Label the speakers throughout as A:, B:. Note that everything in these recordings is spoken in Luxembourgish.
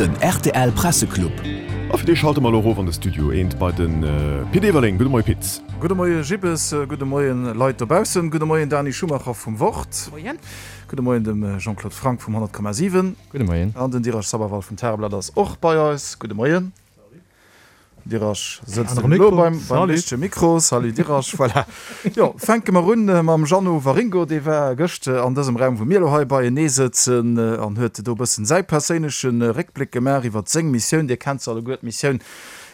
A: Den rtl Presseclub.
B: A fir dee schalte mer elo erof an de Studio eent bei de Pit Everling. Gudde Moie Pit.
C: Gudde Moie Gibbes, gudde Moien Leit dobaussen, gudde Moien Dani Schumacher vum Wort.
D: Moien.
C: Gudde Moien dem Jean-Claude Franck vum 100,7.
E: Gudde Moien.
C: An den Dirasch Sabawal vum Tageblatt ass och bei eis. Gudde Moien. Dirasch sëtzt elo beim richtege Mikro. Salut Dirasch. Voilà. Jo, fänke mer un mam Jeannot Waringo. Dee war gëscht an dësem Raum, wou mir elo hei beienee sëtzen, an huet do e bëssen säi perséinleche Réckbléck gemaach iwwert seng Missioun. Dir kennt se alleguer, d'Missioun,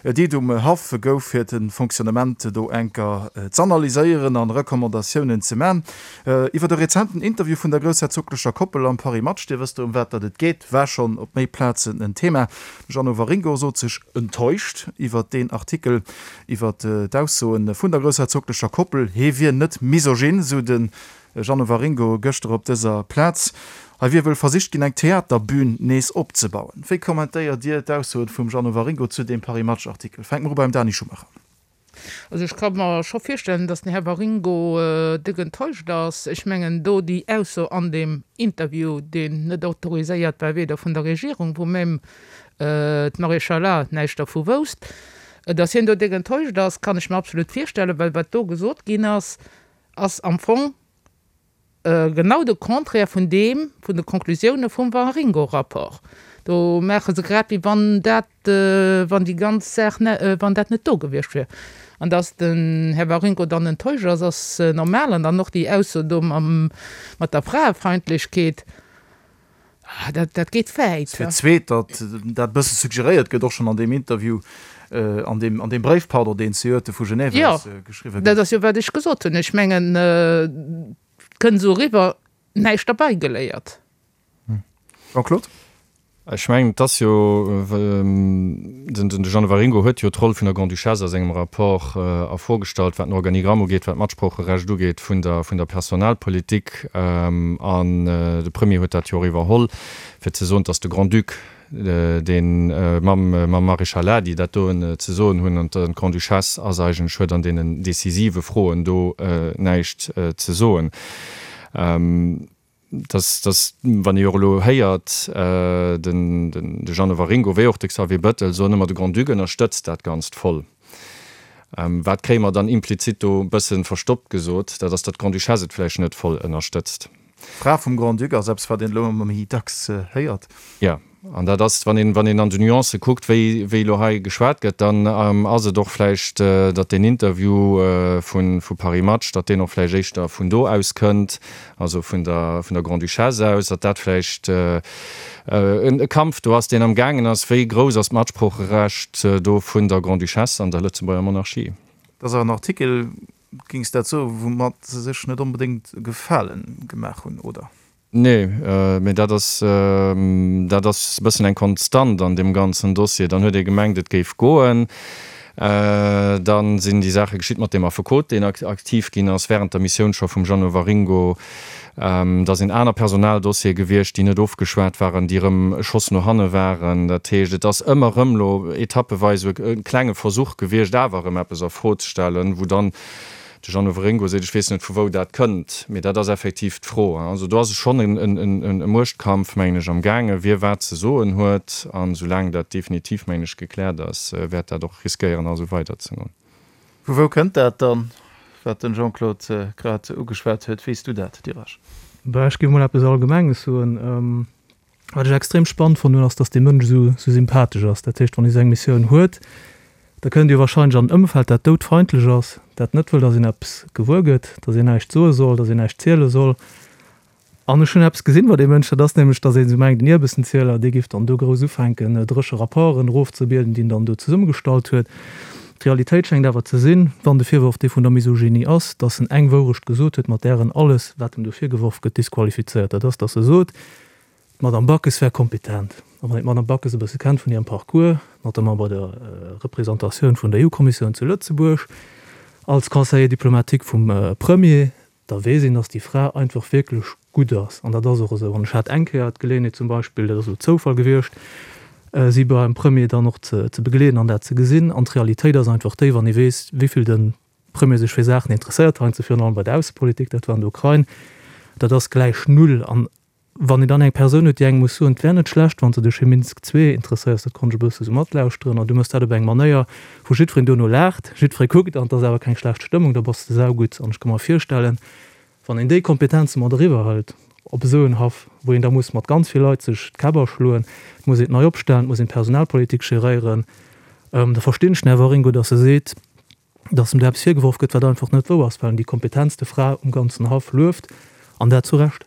C: déi et um Haff gouf, fir de Fonctionnement do enker z'analyséieren an Recommandatiounen ze man. Iwwert e rezenten Interview vun der groussherzoglecher Koppel am Paris Match, Dir wësst ëm wat datt et geet, war schonn op méi Plazen en Thema. De Jeannot Waringo sot sech enttäuscht iwwert deen Artikel iwwert d'Aussoe vun der groussherzoglecher Koppel. Hee wier net misogyn, sou de Jeannot Waringo gëschter op dëser Plaz. Hei wier wëll versicht ginn, eng Theaterbün nees opzebauen. Wéi kommentéiert Dir d'Aussoe vum Jeannot Waringo zu deem Paris Match-Artikel? Fänke mer u beim Dani Schumacher.
D: Also ech ka mer scho virstellen, datt den Här Waringo déck enttäuscht ass. Ech mengen do déi Ausso an deem Interview, deen net autoriséiert war, weder vun der Regierung, wou même d'Maréchale näischt dervu wousst, datt hien do déck enttäuscht ass, kann ech mer absolut virstellen, well wat do gesot ginn ass, ass am Fong Genau de Contraire vun deem, vun de Conclusioune vum Waringo-Rapport. Do maache se grad wéi wann dat, wann déi ganz Saach, wann dat net do gewiescht wier. An datt den Här Waringo dann enttäuscht ass, ass normal. An dann och déi Ausso do mam, mat der Fraefeindlechkeet, dat, dat geet wäit.
C: Fir d'zweet, datt dat e bësse suggeréiert gëtt, och schonn an deem Interview, an deem, an deem Bréif, pardon, deen zejoert vu Genève aus geschriwwe
D: gouf. Jo, dat ass jo wat ech gesot hunn. Ech mengen, et kënnt esou eriwwer, näischt derbäigeléiert.
C: Jean-Claude?
E: Ech mengen, et ass jo, den de Jeannot Waringo huet jo d'Roll vun der Grande-Duchesse a sengem Rapport erfogestallt, wat den Organigramm ugeet, wat d'Matsproocherecht ugeet vun der, vun der Personalpolitik. An de Premier huet dat jo och iwwerholl, fir ze soen, dass de Grand-Duc, deen mam mam Maréchal déi dat doen ze soen hunn, an d'Grande-Duchesse ass eigentlech, huet an deenen decisive Froen do näischt ze soen. Dass, dass, wann ee och elo héiert, den de Jeannot Waringo wéi och de Xavier Bettel soen ëmmer, de Grand-Duc ënnerstëtzt dat Ganzt voll. Wat kréie mer dann implizit do e bësse verstoppt gesot? Dat ass, datt d'Grande-Duchesse et vläicht net voll ënnerstëtzt.
C: D'Fra vum Grand-Duc ass eppes, wat een elo ëmmer méi dacks héiert.
E: Jo, an dat ass, wann een, wann een an de Nuancë kuckt, wéi, wéi elo hei geschwat gëtt, dann ass et och vläicht, datt deen Interview vu, vu Paris Match, datt deen och vläicht éischter vun do aus kënnt, also vun der, vun der Grande-Duchesse aus, datt dat vläicht e Kampf do ass, deen am gaangen ass, wéi grouss ass d'Matsproocherecht do vun der Grande-Duchesse an der Lëtzebuerger Monarchie.
C: Dat ass awer en Artikel, géings dat soen, woumat se sech net onbedéngt e Gefale gemaach hunn, oder?
E: Nee, mee dat ass, dat ass e bëssen eng Konstant an deem ganzen Dossier. Dann huet ee gemengt, et géif goen. Da sinn déi Saache geschitt mat deem Affekot, deen aktiv ginn ass während der Missioun scho vum Jeannot Waringo. Da sinn aner Personaldossiere gewiescht, déi net ofgeschwat waren, déi erëm e Schoss no hanne waren. Dat heescht, et ass ëmmer erëm elo etappeweis e klenge Versuch gewiescht, awer erëm eppes a Fro ze stellen, wou dann De Jeannot Waringo seet, ech weess net vu wou dat kënnt, mee dat ass effektiv d'Fro. Also do ass schonn e Muechtkampf, mengen ech, am gaangen, wie wat ze soen huet. An esoulaang dat definitiv, mengen ech, gekläert ass, wäert dat och riskéieren, nach esou weiderzegoen.
C: Vu wou kënnt dat dann, wat den Jean-Claude grad ugeschwat huet? Weess du dat, Dirasch?
F: Bah, ech géif mol eppes Allgemenges soen. Wat ech extrem spannend fonnt hunn, ass, dass dee Mënsch esou esou sympathesch ass. Dat heescht, wann ee sou eng Missioun huet, da kënnt ee jo wahrscheinlech an en Ëmfeld, dat doudfeindlech ass, dat net wëll, dass een eppes gewuer gëtt, dass een näischt soe soll, dass een näischt ziele soll. An ech hunn eppes gesinn bei deem Mënsch, dat ass nämlech, dass een esou mengt, en Ierbessenzieler, dee géif dann do grouss ufänken, dréche Rapporten erofzebieden, déi en dann do zesummegestallt huet. D'Realitéit schéngt awer ze sinn, wann de Virworf dee vun der Misogynie ass, dass en eng Wourecht gesot huet, mat där en alles, wat em do virgeworf gëtt, disqualifizéiert. Dat ass, dass e sot, d'Madame Backes wär kompetent. A wann een d'Madame Backes e bësse kennt vun hirem Parcours, notamment bei der Représentatioun vun der EU-Kommissioun zu Lëtzebuerg, als Conseiller diplomatique vum Premier, da weess een, dass déi Fra einfach wierklech gutt ass. An dat ass och esou. An ech hat eng Kéier d'Geleeënheet zum Beispill, dat ass elo Zoufall gewiescht, si beim Premier dann och ze begleeden an dat ze gesinn. An d'Realitéit ass einfach déi, wann ee weess, wéi vill de Premier sech fir Saachen interesséiert, heiansdo virun allem bei der Aussepolitik, dat war an der Ukrain, dat ass gläich Null. An. Wann een dann eng Persoun huet, déi engem muss soen, et wär net schlecht, wann s de dech fir Minsk ii interesséiers, dat konnt ech e bësse sou matlauschteren, an du méchs dat op eng Manéier, wou jiddwereen duerno laacht, jiddweree kuckt an et ass awer keng schlecht Stëmmung, da bass de saugutt. An ech ka mer virstellen, wann een déi Kompetenze mat eriwwer hëlt op esou en Haff, wou een da muss mat ganz vill Leit sech d'Käpp aschloen, et muss een et nei opstellen, et muss een d'Personalpolitik geréieren, da verstinn ech den Här Waringo, datt e seet, dass em do eppes virgeworf gëtt, wat einfach net wouer ass, well en déi kompetentste Fra um ganzen Haff lueft, an dat zu Recht.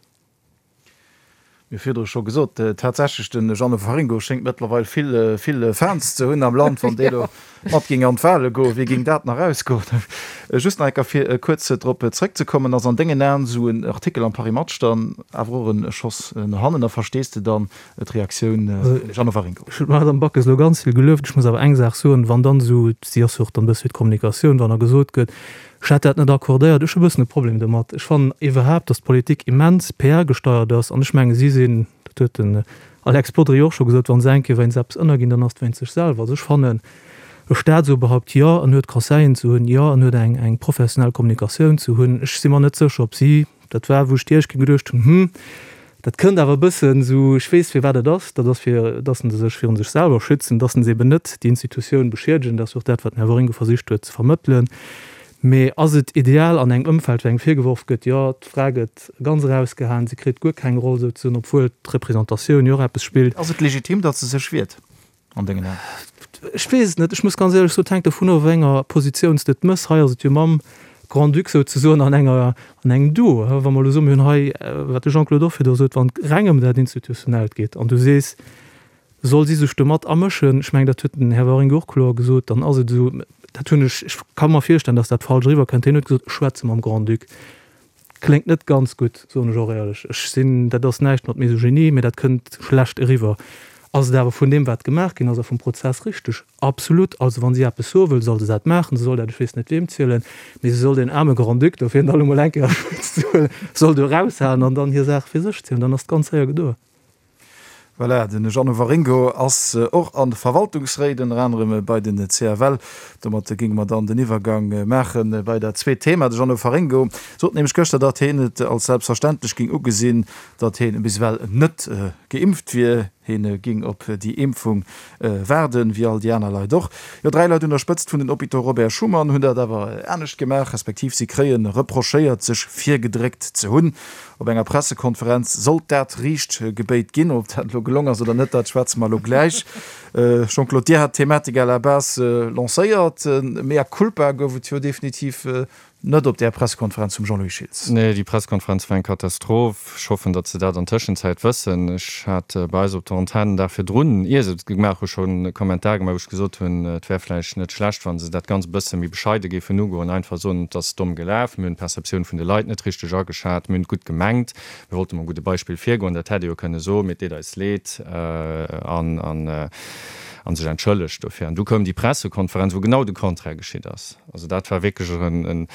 C: Mir hu virdru scho gesot, tatsächlech, de Jeannot Waringo schéngt mëttlerweil vill, vill Fans ze hunn am Land. Wann dee lo mat géing an d'Wahle goen, wéi géing dat nach ausgoen? Just nach eng Kéier, fir kuerz drop zrëckzekommen, Ass an dengen Aen esou en Artikel am Paris Match dann awer och e Schoss no hannen? A verstees de dann d'Reaktioun vum Jeannot Waringo?
F: Ech hunn d'Madame Backes elo ganz vill gelueft. Ech muss awer eng Saach soen, Wann dann esou, si ass jo och dann e bësse fir d'Kommunikatioun, wann da gesot gëtt, ech hätt dat net accordéiert, ech hu e bëssen e Problem domat. Ech fannen iwwerhaapt, datt d'Politik immens PR-gesteiert ass an ech menge si sinn, dat huet den Alex Bodry och scho gesot, wa se eng Kéier wéinst eppes ënnerginn, dann ass et wéinst sech selwer. Also ech fannen, e Staatsoberhaupt, jo, en huet Conseillen ze hunn, jo, en huet eng eng professionell Kommunikatioun ze hunn. Ech si mer net sécher, ob si, dat war wou ech déi éischt Kéier geduecht hunn, hm, Dat kënnt awer e bëssen esou, ech weess firwat et ass, dat ass fir dass se sech virun sech selwer schützen, dass se eben net déi Institutioun beschiedegen, dat ass jo och dat wat den Här Waringo versicht huet ze vermëttelen. Mee ass et ideal an engem Ëmfeld wou engem virgeworf gëtt, jo d'Fra gëtt ganz erausgehaen, se kritt guer keng Roll souzesoen, obwuel d'Representatioun jo och eppes spillt.
C: Ass et legitim, datt se sech wiert? an dengen Aen?
F: Ech weess et net. Ech muss ganz éierlech soen, et hänkt dovun of, a wéi enger Positioun s de et mëss. Hei ass et jo mam Grand-Duc souzesoen an enger, an engem Duo. Wa mer elo soen, mir hunn hei, wat de Jean-Claude och virdru sot, wann et reng ëm dat Institutionellt geet an du sees, soll si sech do mat amëschen, ech mengen, dat huet den Här Waringo och kloer gesot, dann ass et esou, dat hunn ech, ech ka mer virstellen, datt dat falsch eriwwerkënnt, hien huet gesot, ech schwätze mam Grand-Duc. Kléngt net ganz gutt, soen ech och éierlech. Ech sinn, dat ass näischt mat Misogynie, mee dat kënnt schlecht eriwwer. Ass et awer vun deem, wat gemaach ginn ass a vum Prozess richteg? Absolut. Also wa si eppes soe wëll, soll se dat maachen. Se soll dat, ech weess net weem zielen, mee se soll deen aarme Grand-Duc do, fir en da lo mol eng Kéier a Schutz ze huelen, soll do eraushalen an dann hir Saach fir sech zielen. Dann ass et ganz séier gedoe.
C: Voilà, den Jeannot Waringo ass och an de Verwaltungsréit, ënner anerem bei den CFL. Domat géinge mer dann den Iwwergang maache bei dat zweet Thema. De Jeannot Waringo sot nämlech gëschter, datt hien et als selbstverständlech géing ugesinn, datt hien bis ewell net geimpft wier. Hien géing op déi Impfung waarden, wéi all déi aner Leit och. Jo, 3 Leit un der Spëtzt vun den Hôpitaux Robert Schuman hunn dat awer anescht gemaach, respektiv si kréie reprochéiert, sech virgedréckt ze hunn. Op enger Pressekonferenz sollt dat riicht gebéit ginn. Ob dat elo gelong ass oder net, dat schwätze mer elo gläich. Jean-Claude, Dir hat d'Thematik à la base lancéiert. Mea culpa gouf et jo definitiv net op där Pressekonferenz vum Jean-Louis Schiltz.
E: Nee, déi Pressekonferenz war eng Katastroph. Ech hoffen, datt se dat an Tëschenzäit wëssen. Ech hat bei eis op der Antenn den Dag virdrun, ier se et gemaach hu schonn e Kommentar gemaach, wou ech gesot hunn, et wär vläicht net schlecht, wa se dat Ganzt e bësse méi bescheide géifen ugoen, einfach soen, et ass domm gelaf, mir hunn d'Perceptioun vun de Leit net richteg ageschat, mir hunn et gutt gemengt, mir wollte mam gudde Beispill virgoen, dat hätt ee jo kënne soen, mee et deet eis leed an an sech entschëllegt dofir. An du koum déi Pressekonferenz, wou genau de Contraire geschitt ass. Also dat war wierklech en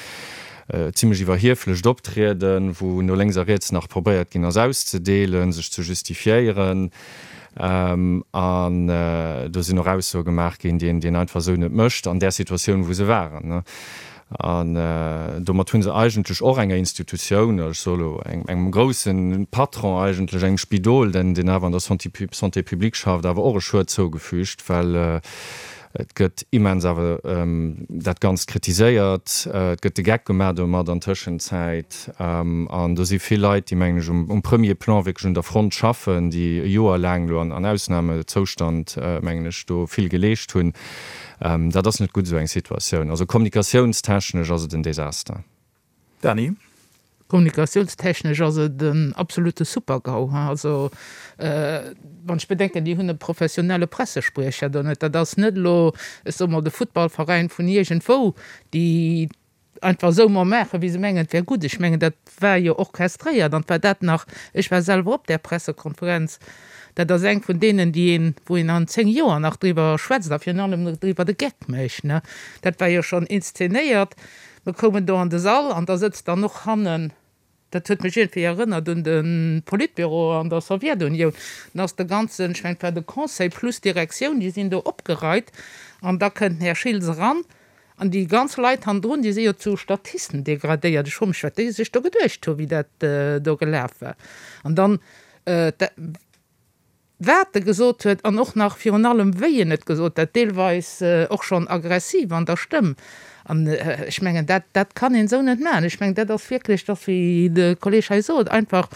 E: zimlech iwwerhieflecht Optrieden, wou no lénks a riets nach probéiert ginn ass auszedeelen, sech ze justifiéieren. An do sinn och Aussoe gemaach ginn, déi een einfach esou net mécht an där Situatioun, wou se waren. An domat hu se eigentlech och enger Institutioun, ech soe lo engem grousse Patron eigentlech, engem Spidol, deen awer an der Santé publique schafft, awer och e Schued zougefügt, well Et gëtt immens awer dat Ganzt kritiséiert, et gëtt de Geck gemaach domat an Tëschenzäit. An do si vill Leit, déi, mengen ech, um premier Plan wierklech un der Front schaffen, déi e Joer laang elo an Ausnamezoustand, mengen ech, do vill geleescht hunn. Dat ass net gutt, esou eng Situatioun. Also kommunikatiounstechnesch ass et en Desaster.
C: Dany?
D: Kommunikatiounstechnesch ass et en absolute Super-GAU. Also wann ech bedenken, déi hunn e professionelle Pressespriecher do net. Dat ass net elo, ech soe mol, de Futtballveräin vun iergendwou, déi einfach esou mol maachen, wéi se mengen, et wär gutt. Ech mengen, dat war jo orchestréiert an et war dat nach, ech war selwer op där Pressekonferenz, dat ass eng vun deenen, déi een, wou een an 10 Joer nach driwwer schwätzt a virun allem driwwer de Geck mécht. Dat war jo schonn inszenéiert. Mir koumen do an de Sall an da sëtzt dann och hannen, dat huet mech iergendwéi erënnert un de Politbüro an der Sowjetunioun, dann ass de ganzen, ech mengen et war de Conseil plus d'Direktioun, déi sinn do opgereit an da kënnt den Här Schiltz eran an déi ganz Leit hannendrun, déi si jo zu Statisten degradéiert. Ech froe mech, wat déi sech do geduecht hu wéi dat do gelaf war. An dann. Wat e gesot huet an och nach virun allem wéi en et gesot huet, deelweis och schonn aggressiv an der Stëmm. An ech mengen, dat, dat kann een esou net maachen. Ech mengen, dat ass wierklech, dat ass wéi de Kolleeg hei sot, einfach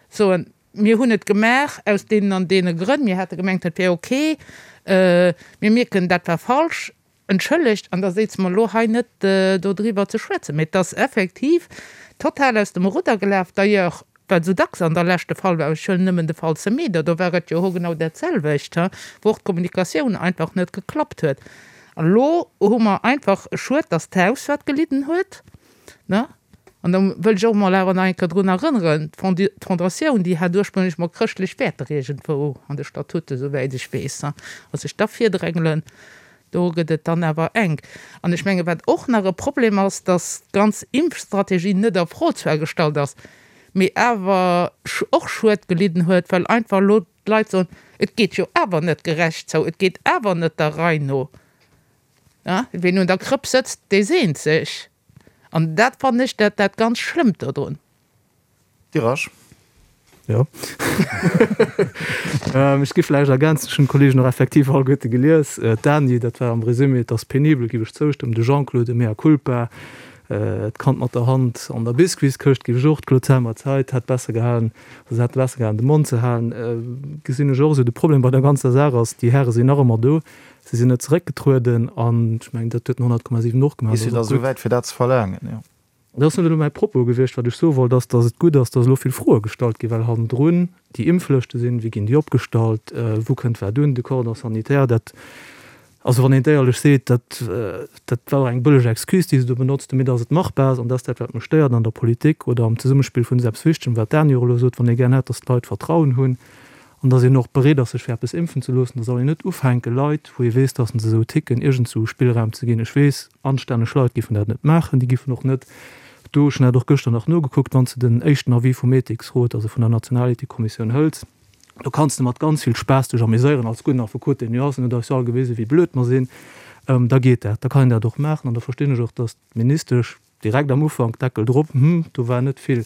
D: soen, Mir hunn et gemaach aus deenen an deene Grënn, mir hate gemengt, dat wär ok, mir mierken, dat war falsch, Entschëllegt, an da séize mer elo hei net dodriwwer ze schwätzen, mee et ass effektiv total aus dem Rudder gelaf. D'ailleurs, wat esou dacks an der Lescht de Fall war, ech huelen nëmmen de Fall Semedo, do war et jo hogenau dat selwecht, wou och d'Kommunikatioun einfach net geklappt huet. An elo hu mer einfach, schued, dass d'Haus wat gelidden huet, ne? An da wëll ech och emol awer nach eng Kéier drun erënneren, d'Fondatioun, déi hat ursprünglech mol chrëschtlech Wäerter iergendwou an de Statuten, souwäit ech weess, a sech da virdrängelen, do gëtt et dann awer enk. An ech menge wat och nach e Problem ass, datt d'ganz Impfstrategie net a Fro zwar gestallt ass, mee awer och Schued gelidden huet, well einfach elo d'Leit soen, et geet jo awer net gerecht zou, et geet awer net der Rei no. Ween un der Krëpp sëtzt, dee seent sech. An dat fannen ech dat dat ganz Schlëmmt dodrun.
C: Dirasch.
F: Jo. Ech gi vläicht ergänzen, ech hunn d'Kollegen och effektiv alleguerte gelies. D'Dany, dat war am Résumé, et ass penibel, giff ech zoustëmmen. De Jean-Claude, e mea culpa, d'Kand mat der Hand an der Biscuitskëscht, giff ech och. D'Claude Selmer, d'Zait hätt besser gehalen, also se hätt besser gehalen de Mond ze halen, gesinn ech och esou. De Problem bei der ganzer Saach ass, déi Häre sinn nach ëmmer do. Si sinn net zeréckgetrueden an ech mengen, dat huet den 100,7 och gemaach.
C: Bis si da esou wäit fir dat ze verlaangen, jo.
F: Dat ass net elo mäi Propos gewiescht. Wat ech soe wollt, ass, datt et gutt ass, datt elo vill Froe gestallt ginn, well hannendrun déi Impflëschte sinn, wéi ginn déi opgestallt, wou kënnt wat un, de Cordon sanitaire, dat, also wann een et éierlech seet, dat, dat war och eng bëlleg Excuse, déi se do benotzt hunn, mee datt et machbar ass. An dat ass dat, wat mech stéiert an der Politik oder am Zesummespill vun eppes Wichtegem, wat d'Dany och elo sot, wann ee gär hätt, datt d'Leit Vertrauen hunn, An dass een och bereet ass, sech fir eppes impfen ze loossen, da soll een net ufänken, Leit, wou ee weess, dass se esou ticken, iergendsou Spillraum ze ginn. Ech weess, anstänneg Leit giffen dat net maachen. Déi giffen och net do, ech hunn dat och gëschter nach nogekuckt, wann s de den éischten Avis vum Ethiksrot, also vun der Nationalethikkommissioun hëls, do kanns de mat ganz vill Spaass dech ameséieren als gudden Affekot, deen du ass, en huet eis jo all gewisen, wéi blöd mer sinn, da geet dat, da kann een dat och maachen. An da verstinn ech och, dass d'Ministesch, Direkt am Ufank, Deckel drop, hm, do war net vill.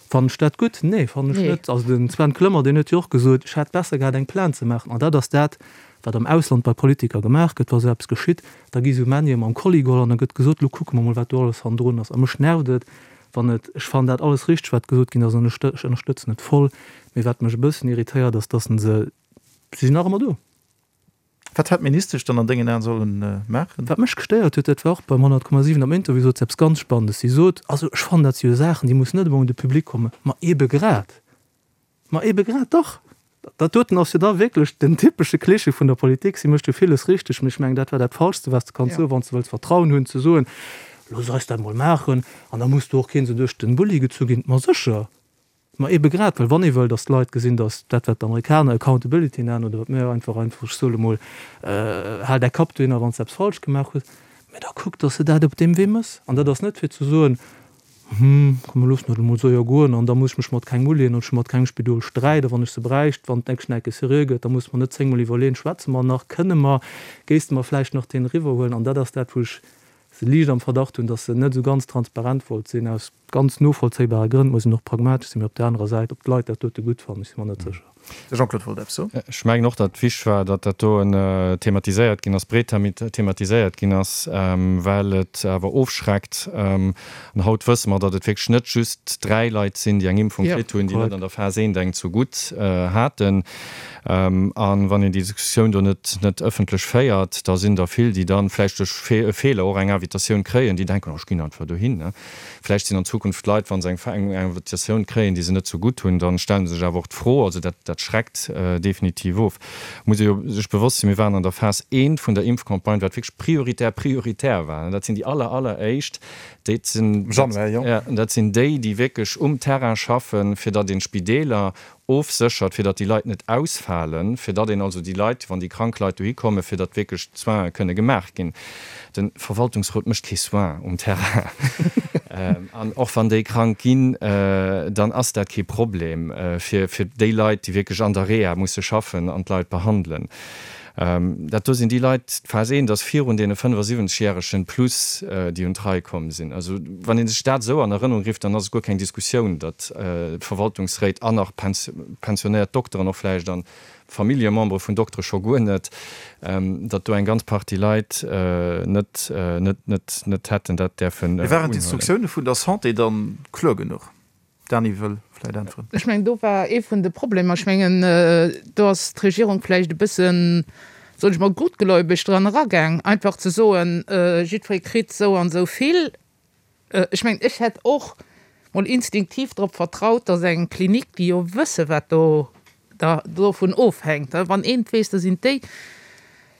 F: Fannen ech dat gutt? Nee, fannen ech net. Also den Sven Clement, deen huet jo och gesot, ech hätt besser gehat eng Plainte ze maachen. An dat ass dat, wat am Ausland bei Politiker gemaach gëtt, wa sou eppes geschitt, da gi sou Männier mam Kolli geholl an da gëtt gesot, lo kucke mer mol, wat do alles hannendrun ass. A mech nervt et, wann et, ech fannen dat alles richteg, wat gesot ginn ass, an ech ënnerstëtzen et voll, mee wat mech e bëssen irritéiert, ass, dass se, si sinn nach ëmmer do.
C: Wat hätt d'Ministesch dann an dengen Aen sollen maachen?
F: Wat mech gestéiert huet, dat war och beim 100,7 am Interview, sot se eppes ganz Spannendes. Si sot, Also ech fannen, dat si jo Saachen, déi mussen net ëmmer un de Public kommen. Ma eebe grad! Ma eebe grad, dach! Dat doten ass jo da wierklech den typesche Klischee vun der Politik. Si mécht jo villes richteg, mee ech mengen, dat war dat Falschste, wat s de kanns soen, wann s de wëlls Vertrauen hunn, ze soen, Looss eis dat mol maachen an da muss do och keen esou duerch den Bulli gezu ginn. Ma sécher! Ma eebe grad, well wann ee wëll, datt d'Leit gesinn, datt dat, wat d'Amerikaner Accountability nennen, oder wat mir einfach, einfach, ech soe mol, hal däi Kapp dohinner, wann s de eppes falsch gemaach hues, mä da kuck, datt s de dat op deem Wee méchs. An dat ass net fir ze soen, Hm, komm mir loossen dat emol esou jo goen an da muss ech mech mat kengem uleeën an ech hu mat kengem Spidol Sträit a wann ech se bräicht, wann d'nächst Schnecke seriö gëtt, da muss mer net zéngmol iwwerleeën, schwätze mer nach, kënne mer, géiste mer vläicht nach deen eriwwerhuelen. An dat ass dat, wou ech se liicht am Verdacht hunn, datt se net esou ganz transparent wollt sinn, aus ganz novollzéibare Grënn, muss een och pragmatesch sinn, mee op där anerer Säit, ob d'Leit dat dote gutt fannen, ech si mer net sécher.
C: De Jean-Claude wollt eppes soen.
E: Ech mengen och, datt wichteg war, datt dat do thematiséiert ginn ass, breet thematiséiert ginn ass, well et awer ofschreckt. An haut wësse mer, datt et wierklech net just 3 Leit sinn, déi eng Impfung kritt hunn, déi net an der Phas eent eng zu gutt haten. A wann een déi Diskussioun do net net ëffentlech féiert, da sinn der vill, déi da vläicht duerch e Feeler och eng Invitatioun kréien, déi denken, oh ech ginn einfach dohin. Vläicht sinn an Zukunft Leit, wa se eng Invitatioun kréien, déi se net sou gutt hunn, da stelle se sech awer och d'Fro. Also dat dat schreckt definitiv of. Muss ee jo sech bewosst sinn, mir waren an der Phas eent vun der Impfcampagne, wat wierklech prioritär prioritär war. Dat sinn déi aller alleréischt, déi sinn, dat sinn déi, déi wierklech um Terrain schaffen, fir datt een d'Spideeler ofséchert, fir datt déi Leit net ausfalen, fir datt een also déi Leit, wann déi krank Leit dohi kommen, fir datt wierklech d'Soine kënne gemaach ginn. De Verwaltungsrot mécht kee Soin um Terrain. An och wann déi krank ginn, dann ass dat kee Problem fir déi Leit, déi wierklech an der Reha musse schaffen an d'Leit behandelen. Dat do sinn déi Leit, d'Phas eent ass virun deene 75 järegen plus, déi un d'Rei komm sinn. Also wann ee sech dat esou an Erënnerung rifft, dann ass et guer keng Diskussioun, datt d'Verwaltungsréit an nach pensionéiert Dokteren och vläicht an Familljemembere vun Doktere scho guer net, datt do eng ganz Partie Leit net, net, net, net hätten dat däerfen
C: Mee waren unhuelen. d'Instruktioune vun der Santé dann kloer genuch? D'Dany wëll vläit äntweren.
D: Ech mengen, do war ee vun de Problemer. Ech mengen, do ass d'Regierung vläicht e bëssen, soen ech mol, gutgläubeg dran eragaang, einfach ze soen, jiddweree kritt esou an esou vill. Ech mengen, ech hätt och mol instinktiv drop vertraut, datt eng Klinik, déi jo wësse wat do da dovun ofhänkt, wann een et weess, da sinn et déi.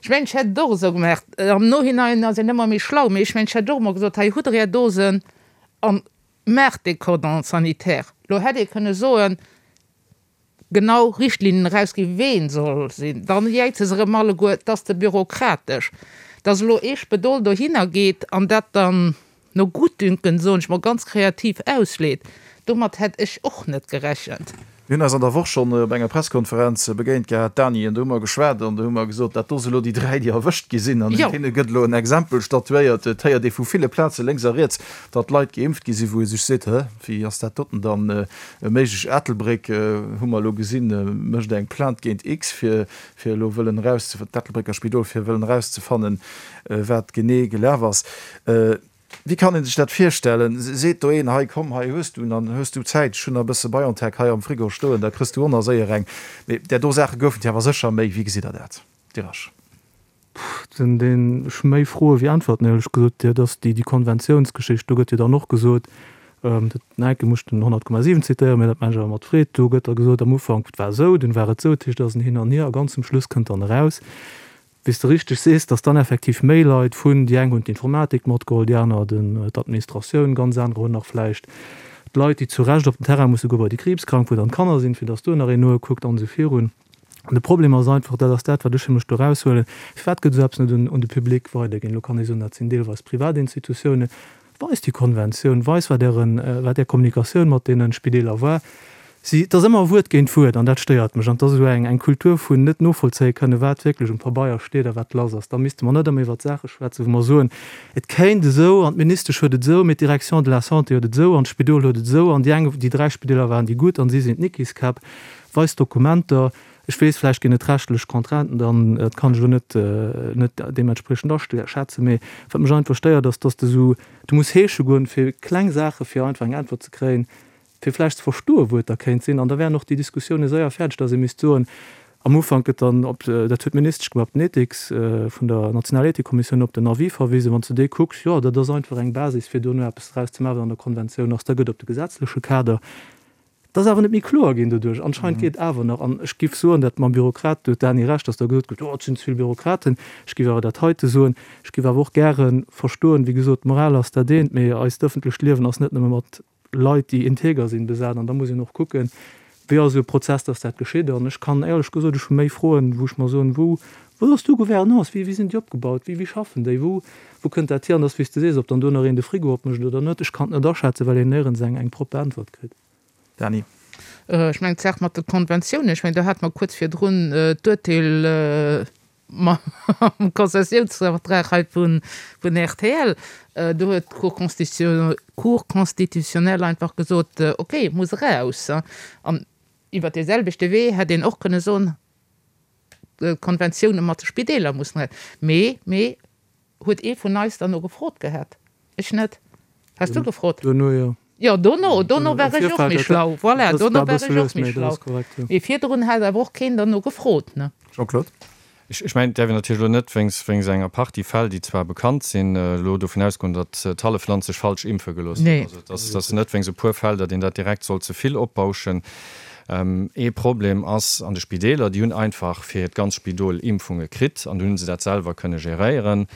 D: Ech mengen, ech hätt et och esou gemaach. Am Nohinein ass een ëmmer méi schlau, mee ech mengen, ech hätt och emol gesot, hei hutt der är Dosen an Maacht dee Cordon sanitaire. Lo hätt ee kënne soen, genau Richtlinnen erausginn, ween soll sinn. Dann jäize se erëm alleguer, et ass ze bürokratesch. Dass elo ee Spedol dohinner geet an dat dann no Gutdünken, soen ech mol, ganz kreativ ausleet, domat hätt ech och net gerechent.
C: Mir hunn eis an der Woch schonn op enger Presskonferenz begéint gehat, Dany, an do hu mer geschwat an do hu mer gesot, dat do si lo déi 3, déi erwëscht gi sinn an un deene gëtt elo en Exempel statuéiert. Et héiert ee vu ville Plaze lénks a riets, datt Leit geimpft gi sinn, wou ee sech seet, Hë, wéi ass dat doten dann méiglech? Ettelbréck, hu mer elo gesinn, mécht eng Plainte géint X, fir fir elo wëllen erauszefannen, d'Ettelbrécker Spidol, fir wëllen erauszefannen, wat genee gelaf ass. Wéi kann een sech dat virstellen? Seet do een, hei komm, hei hues du, dann hues du Zäit, ech hunn nach e bësse BioNTech hei am Frigo stoen, da kriss du och nach séier eng. Mee där do Saache goufen et jo awer sécher méi. Wéi gesitt Der dat, Dirasch?
F: Ech hu méi Froe wéi Äntwerten, éierlech gesot. Dat ass déi Konventiounsgeschicht, do gëtt jo dann och gesot, dat Nike muss den 100,7 zitéieren, mee dat maachen ech awer mat Freed, do gëtt da gesot am Ufank, et war esou, dunn war et esou, dat heescht, et ass en Hin an Hier a ganz zum Schluss kënnt dann eraus, Wéi s de richteg sees, dass dann effektiv méi Leit vun, déi eng hunn d'Informatik matgeholl, déi aner d'Administratioun, ganz anerer hunn nach vläicht d'Leit, déi zu Recht op den Terrain musse goe bei déi Kriibskrank, wou dann d'Kanner sinn, fir dass do nach een nokuckt an esou virun. An de Problem ass einfach, dat ass dat, wat ech fir mech do eraushuelen, Firwat gëtt esou eppes net un de Public weiderginn? Elo kann ee soen, dat sinn deelweis Privatinstitutiounen. Weist déi Konventioun, weist wat ären, wat är Kommunikatioun mat deene Spideeler war. Si, et ass ëmmer Wuert géint Wuert an dat stéiert mech. An et ass esou eng, eng Kultur vun net novollzéie kënnen, wat wierklech um Pabeier steet a wat lass ass. Da misste mer net ëmmer iwwert Saache schwätzen, wou mer soen, et kéint esou an d'Ministesch huet et esou, mee d'Direction de la Santé huet et esou an d'Spidol huet et esou an déi eng, déi 3 Spideeler waren déi gutt an si sinn d'Nickiskäpp. Weist Dokumenter. Ech weess, vläicht ginn et rechtlech Contrainten dann, dat kann ech elo net, net deementspriechend aschätzen, mee wat mech einfach stéiert, ass, dass de esou, du muss heesche goen, fir kleng Saache fir einfach eng Äntwert ze kréien, fir vläicht ze verstoen, wou et da kéint sinn. An da wären och déi Diskussioune séier fäerdeg, dass ee misst soen, am Ufank gëtt dann op, dat huet d'Ministesch gemaach, op den Ethiks vun der Nationaler Ethikkommissioun op den Avis verwisen. Wann s de dee kucks, jo, dat ass einfach eng Basis, fir dono eppes draus ze maachen, wat an der Konventioun ass. Da gëtt op de gesetzleche Kader Et ass awer net méi kloer ginn doduerch. Anscheinend geet et awer nach. An ech giff soen, dat mam Bürokrat, do huet d'Dany Recht, datt da gesot gëtt, oh, et sinn ze vill Bürokraten. Ech giff awer dat heite soen. Ech giff awer och gäre verstoen, wéi gesot, d'Moral ass dat eent, mee eist ëffentlecht Liewen ass net nëmme mat Leit, déi integer sinn, besat. An da muss een och kucken, wéi ass esou e Prozess, datt dat geschitt. An ech kann éierlech gesot, ech hu méi Froen, wou ech mer soen, wou, wou ass do Gouvernance, wéi, wéi sinn déi opgebaut, wéi, wéi schaffen déi, wou, wou kënnt dat hier? An dass, wéi s de sees, ob dann do nach een de Frigo opmécht oder net, ech kann et net aschätzen, well een néierens eng, eng propper Äntwert kritt.
C: Dany.
D: Ech mengen, d'Saach mat de Konventiounen, ech mengen, do hate mer kuerz virdrun d'Urteel mam Konzessiounsvertrag hei vun rtl. Do huet d'Cour Cour constitutionnelle einfach gesot, okay, muss eraus. An iwwert dee selwechte Wee hätt een och kënne soen, D'Konventioune mat de Spideeler mussen eraus. Mee, mee huet ee vun eis dann no gefrot gehat? Ech net. Has du gefrot?
F: Duerno jo.
D: Jo, dono, dono war ech och méi schlau. Voilà, dono war ech och méi schlau. Mee virdrun hat awer och keen derno gefrot, ne?
C: Jean-Claude.
E: Ech mengen, et däerf een natierlech elo net wéinst wéinst enger Partie Fäll, déi zwar bekannt sinn, elo dovun ausgoen, datt d'hallef Land sech falsch impfe gelooss huet. Also et ass, et ass net wéinst e puer Fäll, datt een dat direkt soll ze vill opbauschen. Ee Problem ass an de Spideeler, déi hunn einfach fir hiert ganz Spidol Impfunge kritt an dunn hu se dat selwer kënne geréieren.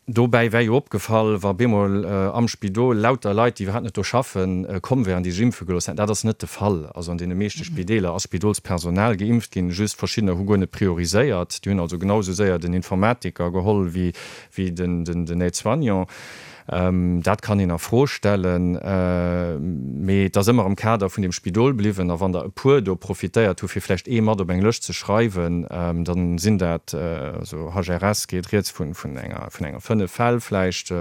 E: Dobäi wär jo opgefall, wa bemol am Spidol lauter Leit, déi iwwerhaapt net do schaffen, komm wären, déi sech impfe gelooss hätten. Dat ass net de Fall. Also an deene meeschte Spideeler ass Spidolspersonal geimpft ginn, just verschiddener hu guer net prioriséiert. Déi hunn also genau esou séier den Informatiker geholl wéi den Aide-soignant. Dat kann een a Fro stellen, mee et ass ëmmer am Kader vun deem Spidol bliwwen. A wann der e puer do profitéiert hu fir vläicht ee mat op eng Lëscht ze schreiwen, da sinn dat, also HRS geet rieds vun enger vun enger 5 Fäll vläicht,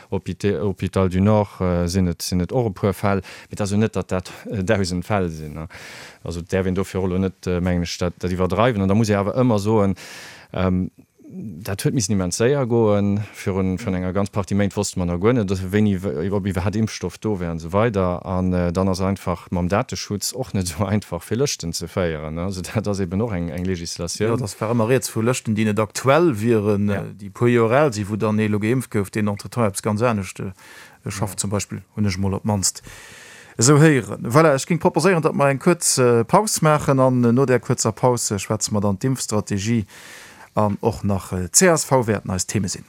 E: Hôpital du Nord sinn et sinn et och e puer Fäll, mee et ass jo net, datt dat 1.000 Fäll sinn. Also et däerf een dofir och elo net, mengen ech, dat iwwerdreiwen. An da muss ee awer ëmmer soen, Dat huet missen immens séier goen. Virun enger ganz Partie Méint wosste mer nach guer net, wéini, ob iwwerhaapt Impfstoff do wär an esou weider. An dann ass einfach mam Dateschutz och net esou einfach, fir Lëschten ze féieren. Also dat ass eben och eng Législatioun.
C: Jo, et war ëmmer rieds vu Lëschten, déi net aktuell wieren, déi e puer Joer al sinn, wou dann ee elo geimpft gouf, deen entretemps eppes ganz anescht schafft zum Beispill, hunn ech emol op d'mannst esou héieren. Voilà, ech géing proposéieren, datt mer eng kuerz Paus maachen an no där kuerzer Paus schwätze mer dann d'Impfstrategie An och nach csv wäerten eis Theme sinn.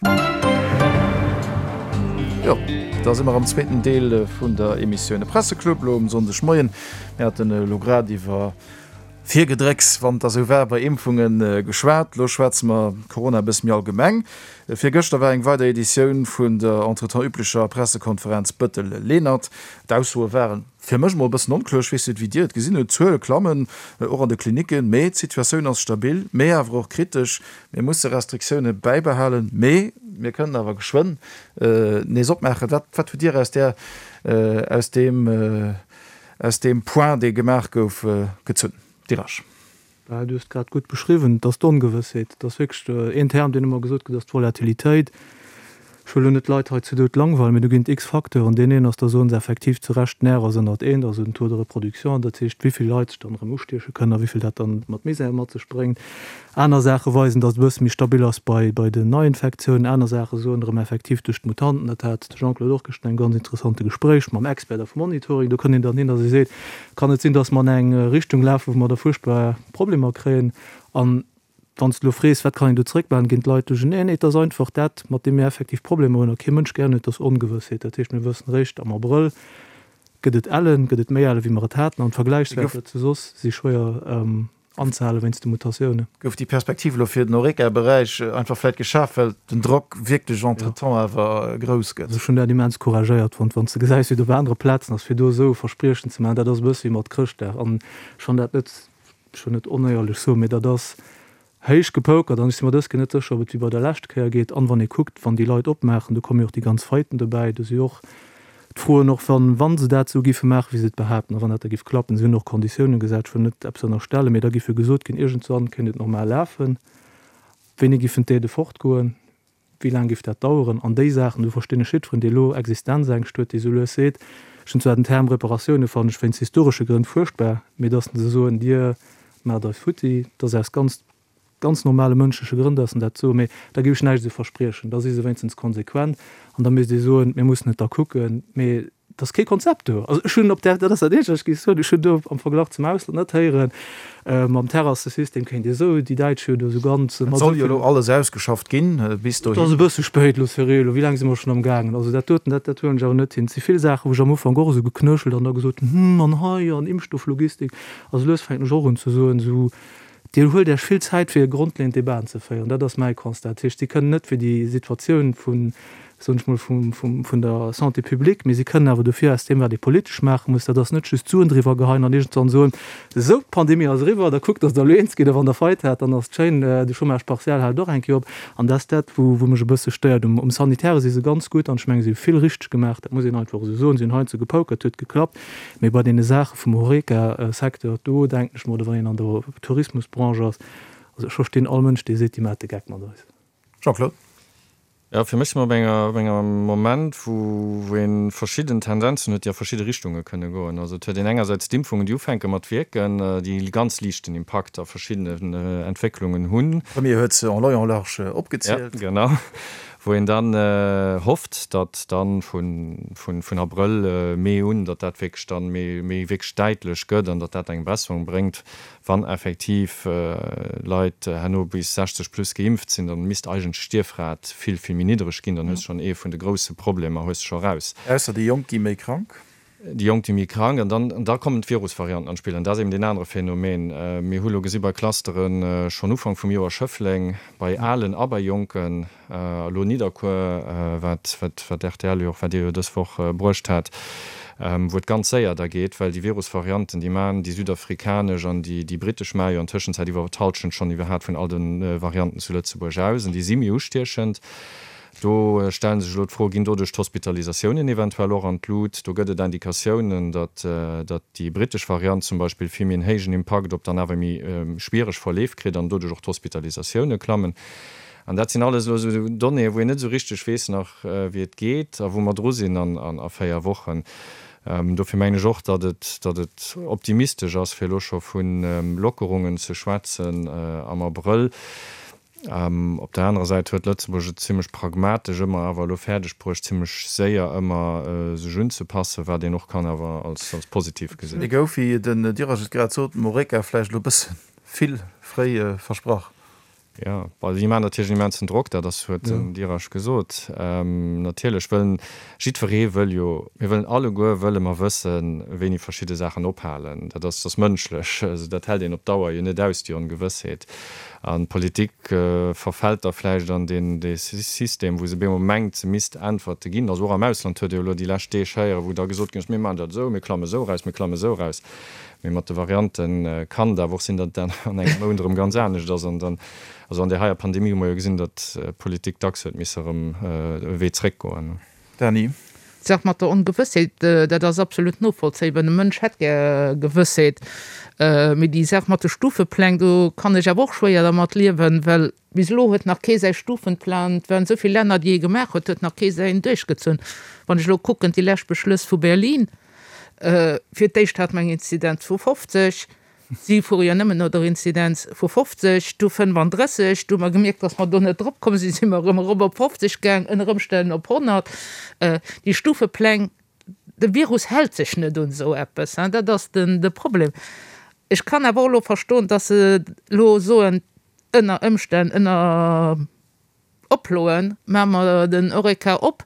C: Jo, da si mer am zweeten Deel vun der Emissioun De Presseclub elo um Sonndegmoien. Mir haten elo grad iwwer Virgedrécks, wann et da sou war, bei Impfunge geschwat. Elo schwätze mer Corona e bësse méi allgemeng. Virgëschter war eng weider Editioun vun der entretemps üblecher Pressekonferenz Bëttel-Lenert. D'Aussoe waren Fir mech mol e bëssen onkloer, ech weess net wéi Dir et gesinn hutt, d'Zuele klammen, och an de Klinicken, mee d'Situatioun ass stabil, mee awer och kritesch. Mir musse Restriktioune bäibehalen, mee mir kënnen awer geschwënn nees opmaachen. Wat wat hutt Dir aus där aus deem aus deem Point, dee gemaach gouf, gezunn? Dirasch.
F: Bah, du hues et grad gutt beschriwwen, et ass d'Ongewëssheet. Et ass wierklech een Term, deen ëmmer gesot gëtt, ass d'Volatilitéit. Ech wëll elo net d'Leit hei zu Doud langweilen, mee do ginn et x-Facteuren. Deen een ass, da soen se effektiv zu Recht, d'När ass ënnert eent, also den Taux de reproduction, dat heescht, wéi vill Leit sech dann erëm ustieche kënnen a wéi vill dat dann mat Misär mat sech bréngt. Aner Saache weisen, datt et e bësse méi stabil ass bei bei den Neiinfektiounen. Aner Saache soen erëm effektiv duerch d'Mutanten, dat hat de Jean-Claude och gëschten engem ganz interessante Gespréich mam Expert da vum Monitoring, do kënnt een dann hin, datt ee seet, Kann et sinn, datt mer an eng Richtung lafen, wou mer da fuerchtbar Problemer kréien? An wann s de elo frees, wat kann een do zeréckmaachen, ginn d'Leit duercherneen. Nee, et ass einfach dat, mat deem mir effektiv Problemer hunn a kee Mënsch gären huet, dat ass Ongewëssheet. Dat heescht, mir wëssen eréischt am Abrëll, Gëtt et Ellen, gëtt et méi Ellen, wéi mer et haten? An d'Vergläichswäerter zu soss si schwéier anzehale wéinst de Mutatiounen.
C: Gouf déi Perspektiv elo fir den Horeca-Beräich einfach vläicht geschaf, well den Drock wierklech entretemps awer grouss gëtt?
F: Also ech hunn dat immens couragéiert fonnt, wann s de gesäis, wéi et op anere Plazen ass, fir do esou e Verspriechen ze maachen, dat ass e bësse wéi mat Chrëschtdag. An ech fann dat net, ech wëll net onéierlech soen, mee dat ass héich gepokert an ech si mer dës Kéier net sécher, ob et wéi bei der leschter Kéier geet. An wann ee kuckt, wann déi Leit opmaachen, do komme jo och déi ganz Faiten dobäi, do si och d'Froen, och wann, wa se dat esou géife maachen, wéi se et behaapten, a wann dat da géif klappen, si hunn och Konditiounen gesat, ech wëll net eppes ënnerstellen, mee da géif jo gesot ginn, iergendwann kéint et normal lafen, wéini géifen d'Aidë fortgoen, Wéi laang géif dat daueren? An déi Saachen, do verstinn ech jiddferen, dee elo Existenzängscht huet, dee sou lues seet, ech hunn zwar den Term Reparatioune fannen ech wéinst historesche Grënn fuerchtbar, mee datt se soen, Dir maacht eis futti, dat ass aus ganz, ganz normale mënschleche Grënn, datt se dat soen, mee da géif ech näischt esou verspriechen. Da si se wéinstens konsequent an da misst ee soen, mir mussen et da kucken, mee Et ass kee Konzept do. Also ech hunn op där, dat ass dat Eenzegt, wat ech géif soen, ech hunn do am Verglach zum Ausland net héieren, mam Terrassesystem kéint ee sou, déi Däitsch hu jo do sou ganz.
C: Et soll jo elo alles ausgeschafft ginn bis
F: dohin. Et ass e bësse spéit elo, Cyrille. Wéi laang si mer schonn am gaangen? Also dat doten, dat, dat huelen ech awer net hin. Et si vill Saachen, wou ech am Ufank och esou geknöchelt an da gesot hunn, hm, an hei an Impfstofflogistik. Also lues fänken ech och un ze soen, esou, Dir huelt Iech vill Zäit fir grondleeënd Debaten ze féieren. Dat ass mäi Constat. Dat heescht, si kënnen net fir déi Situatioun vun, soen ech mol, vum, vum, vun der Santé publique, mee si kënnen awer dofir aus deem, wat ee politesch maache muss, dat ass net just d'Suen driwwer geheien an iergendwann soen, esou, d'Pandemie ass eriwwer, da kuckt, datt Der elo eens gitt a wann Der Faillite hat, dann ass et schéin, de Chômage partiel hält och eng Kéier op. An dat ass dat, wou, wou mech e bësse stéiert. Um, um Sanitäre si se ganz gutt an ech menge si hu vill richteg gemaach, dat muss een einfach esou soen. Si hunn heiansdo gepokert, huet geklappt. Mee bei deene Saache vum Horeca-Secteur, do denken ech mer, oder wann een an der Tourismusbranche ass, also ech verstinn all Mënsch, dee seet, déi maacht de Geck mat eis.
C: Jean-Claude.
E: Jo, fir mech si mer op enger, op engem Moment, wou, wou ee verschidden Tendenzen huet, déi a verschidde Richtunge kënne goen. Also et huet een engersäits d'Impfungen, déi ufänke mat wierken, déi e ganz liichten Impakt a verschiddenen Entwécklungen hunn.
C: Premier huet se en long en large opgezielt.
E: Ja, genau. Wou een dann hofft, datt dann vun Abrëll, Mee un, datt dat wierklech dann méi wierklech däitlech gëtt an datt dat eng Besserung bréngt. Wann effektiv Leit herno bis 60 plus geimpft sinn, dann misst eigentlech d'Stierfrat vill, vill méi niddreg ginn. Dann hues de schonn ee vun de grousse Problemer hues de scho raus.
C: Ausser déi Jonk gi méi krank.
E: Déi Jonk, déi méi krank, an dann, an da kommen d'Virusvarianten an d'Spill. An dat ass eben deen anere Phänomen. Mir hu lo gesi bei Clusteren, schonn Ufank vum Joer Schëffleng, bei Alen a bei Jonken, a lo Nidderkuer, wat, wat, wat rtl jo och, wat Dir jo dës Woch bruecht hat, wou et ganz séier da geet, well déi Virusvarianten, déi man, déi südafrikanesch an déi, déi brittesch maache jo an Tëschenzäit iwwer d'Hallschent schonn iwwerhat vun all de Varianten zu Lëtzebuerg aus, an déi si méi ustiechend. Do stelle sech elo d'Fro, Ginn doduerch d'Hospitalisatiounen eventuell och an d'Lut? Do gëtt et Indikatiounen, datt déi brittesch Variant zum Beispill vill méi en héijen Impakt op dann awer méi schwiereg Verleef kritt an doduerch och d'Hospitalisatioune klammen. An dat sinn alles elo esou Donnéeë wou een net esou richteg weess nach, wéi et geet a wou mer dru sinn a 4 Wochen. Dofir mengen ech och, datt et, datt et optimistesch ass, fir elo scho vu Lockerungen ze schwätzen am Abrëll. Op der anerer Säit huet Lëtzebuerg et zimlech pragmatesch ëmmer awer elo fäerdeg bruecht, zimlech séier ëmmer sech unzepassen, wat een och kann awer als positiv gesinn.
C: Et gouf, wéi den Durage et grad sot, dem Horeca vläicht elo e bësse vill fréi versprach.
E: Jo, bon, déi maachen natierlech en immensen Drock, dat ass, huet den Durage gesot. Natierlech wëllen, jiddweree wëll jo, mir wëllen alleguer wëlle mer wëssen, wéini verschidde Saachen ophalen. Dat ass, dat ass mënschlech. Also dat hält een op Dauer jo net aus, déi Ongewëssheet. An d'Politik verfält da vläicht an deen dee System, wou se bemol mengt, se misst Äntwerte ginn. Also och am Ausland huet ee jo elo déi lescht Deeg héieren, wou da gesot ginn ass, mir maachen dat esou, mir klamme esou eraus, mir klamme esou eraus. Mee mat de Variante kann et awer och sinn, datt et an engem Mount erëm ganz anescht ass. An dann, also an där heier Pandemie hu mer jo gesinn, datt d'Politik dacks huet misse erëm e Wee zréckgoen.
C: Dany.
D: D'Saach mat der Ongewëssheet, dat ass absolut novollzéibar. De Mënsch hätt gär Gewëssheet. Mee déi Saach mat de Stufepläng, do kann ech awer och schwéier dermat liewen, well bis elo huet nach kee säi Stufenplan, et waren esou vill Länner, déi ee gemaach huet, huet nach kee säin duerchgezunn. Wann ech elo kucken, déi lescht Beschlëss vu Berlin, fir d'éischt hat mer eng Inzidenz vu 50, Si fuere jo nëmmen no der Inzidenz vu 50, du 35, du hu mer gemierkt, dass mer do net drop komm sinn, si mer erëm erop op 50 gaang, ënner Ëmstänn op 100. Déi Stufepläng, de Virus hält sech net un esou eppes, dat ass de Problem. Ech kann awer och elo verstoen, dass se elo soen, ënner Ëmstänn, ënner Oploen, maache mer den Horeca op.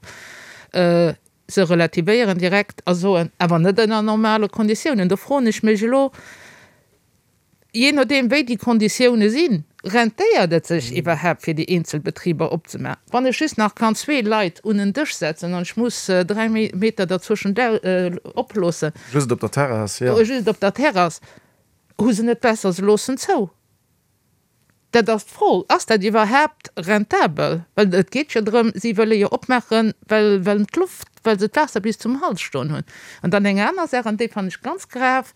D: Se relativéieren direkt a soen, awer net ënner normale Konditiounen. Do froen ech mech elo, jee nodeem wéi déi Konditioune sinn, rentéiert et sech iwwerhaapt fir déi eenzel Betriber opzemaachen? Wann ech just nach kann zwee Leit un en Dësch setzen an ech muss 3 Meter derzwëschent oploossen,
C: Just op der Terrass, jo.
D: Just op der Terrass, hu se net besser, se loossen zou? Dat ass d'Fro, Ass dat iwwerhaapt rentabel? Well et geet jo drëm, si wëlle jo opmaachen, well well d'Loft, well se d'Waasser bis zum Hals stoen hunn. An dann eng aner Saach, an déi fannen ech ganz grav,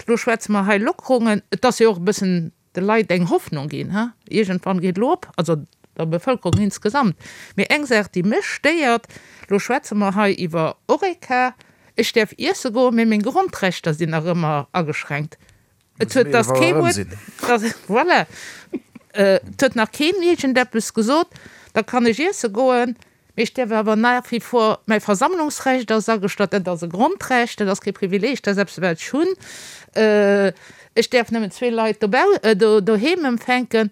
D: Elo schwätze mer hei Lockerungen, et ass jo och e bëssen de Leit eng Hoffnung ginn, he, iergendwann geet elo op, also der Bevëlkerung insgesamt. Mee eng Saach, déi mech stéiert, Elo schwätze mer hei iwwer Horeca, ech däerf iesse goen, mee meng Grondrechter sinn nach ëmmer ageschränkt. Et huet dass kee Wuert, dass, voilà, et huet nach keen iergendeppes gesot, da kann ech iesse goen, mee ech däerf awer nach wie vor, mäi Versammlungsrecht ass agestallt, dat ass e Grondrecht, dat ass kee Privileeg, dat ass eppes wat ech hunn, ech däerf nëmmen zwee Leit dobau, doheem empfänken.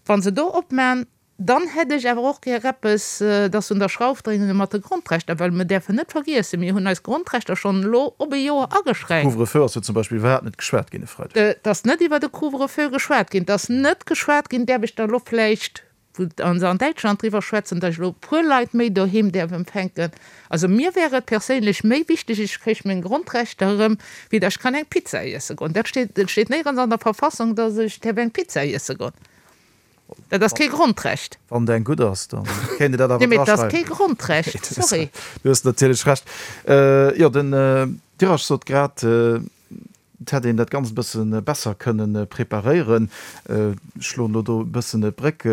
D: Wa se do opman, Dann hätt ech awer och gär eppes, dass se un der Schrauf dréinen mat de Grondrechter, well mir däerfen net vergiessen, mir hunn eis Grondrechter schonn elo op e Joer ageschränkt.
C: Couvre-feu ass jo zum Beispill iwwerhaapt net geschwat ginn e Freideg.
D: Et ass net iwwer de Couvre-feu geschwat ginn. Et ass net geschwat ginn, däerf ech da elo vläicht, wou se an Däitschland driwwer schwätzen, datt ech elo e puer Leit méi doheem däerf empfänken. Also mir wär et perséinlech méi wichteg, ech kréich meng Grondrechter erëm, wéi datt ech kann eng Pizza iesse goen. Dat steet, et steet néierens an der Verfassung, datt ech däerf eng Pizza iesse goen. Dat ass kee Grondrecht.
C: Wann deng gutt ass, da kéint ee dat awer
D: Nee, mee et ass kee Grondrecht, sorry.
C: Du hues natierlech Recht. Jo, den Dirac sot grad, et hätt een dat Ganzt e bësse besser kënne preparéieren. Ech schloen elo do e bëssen d'Bréck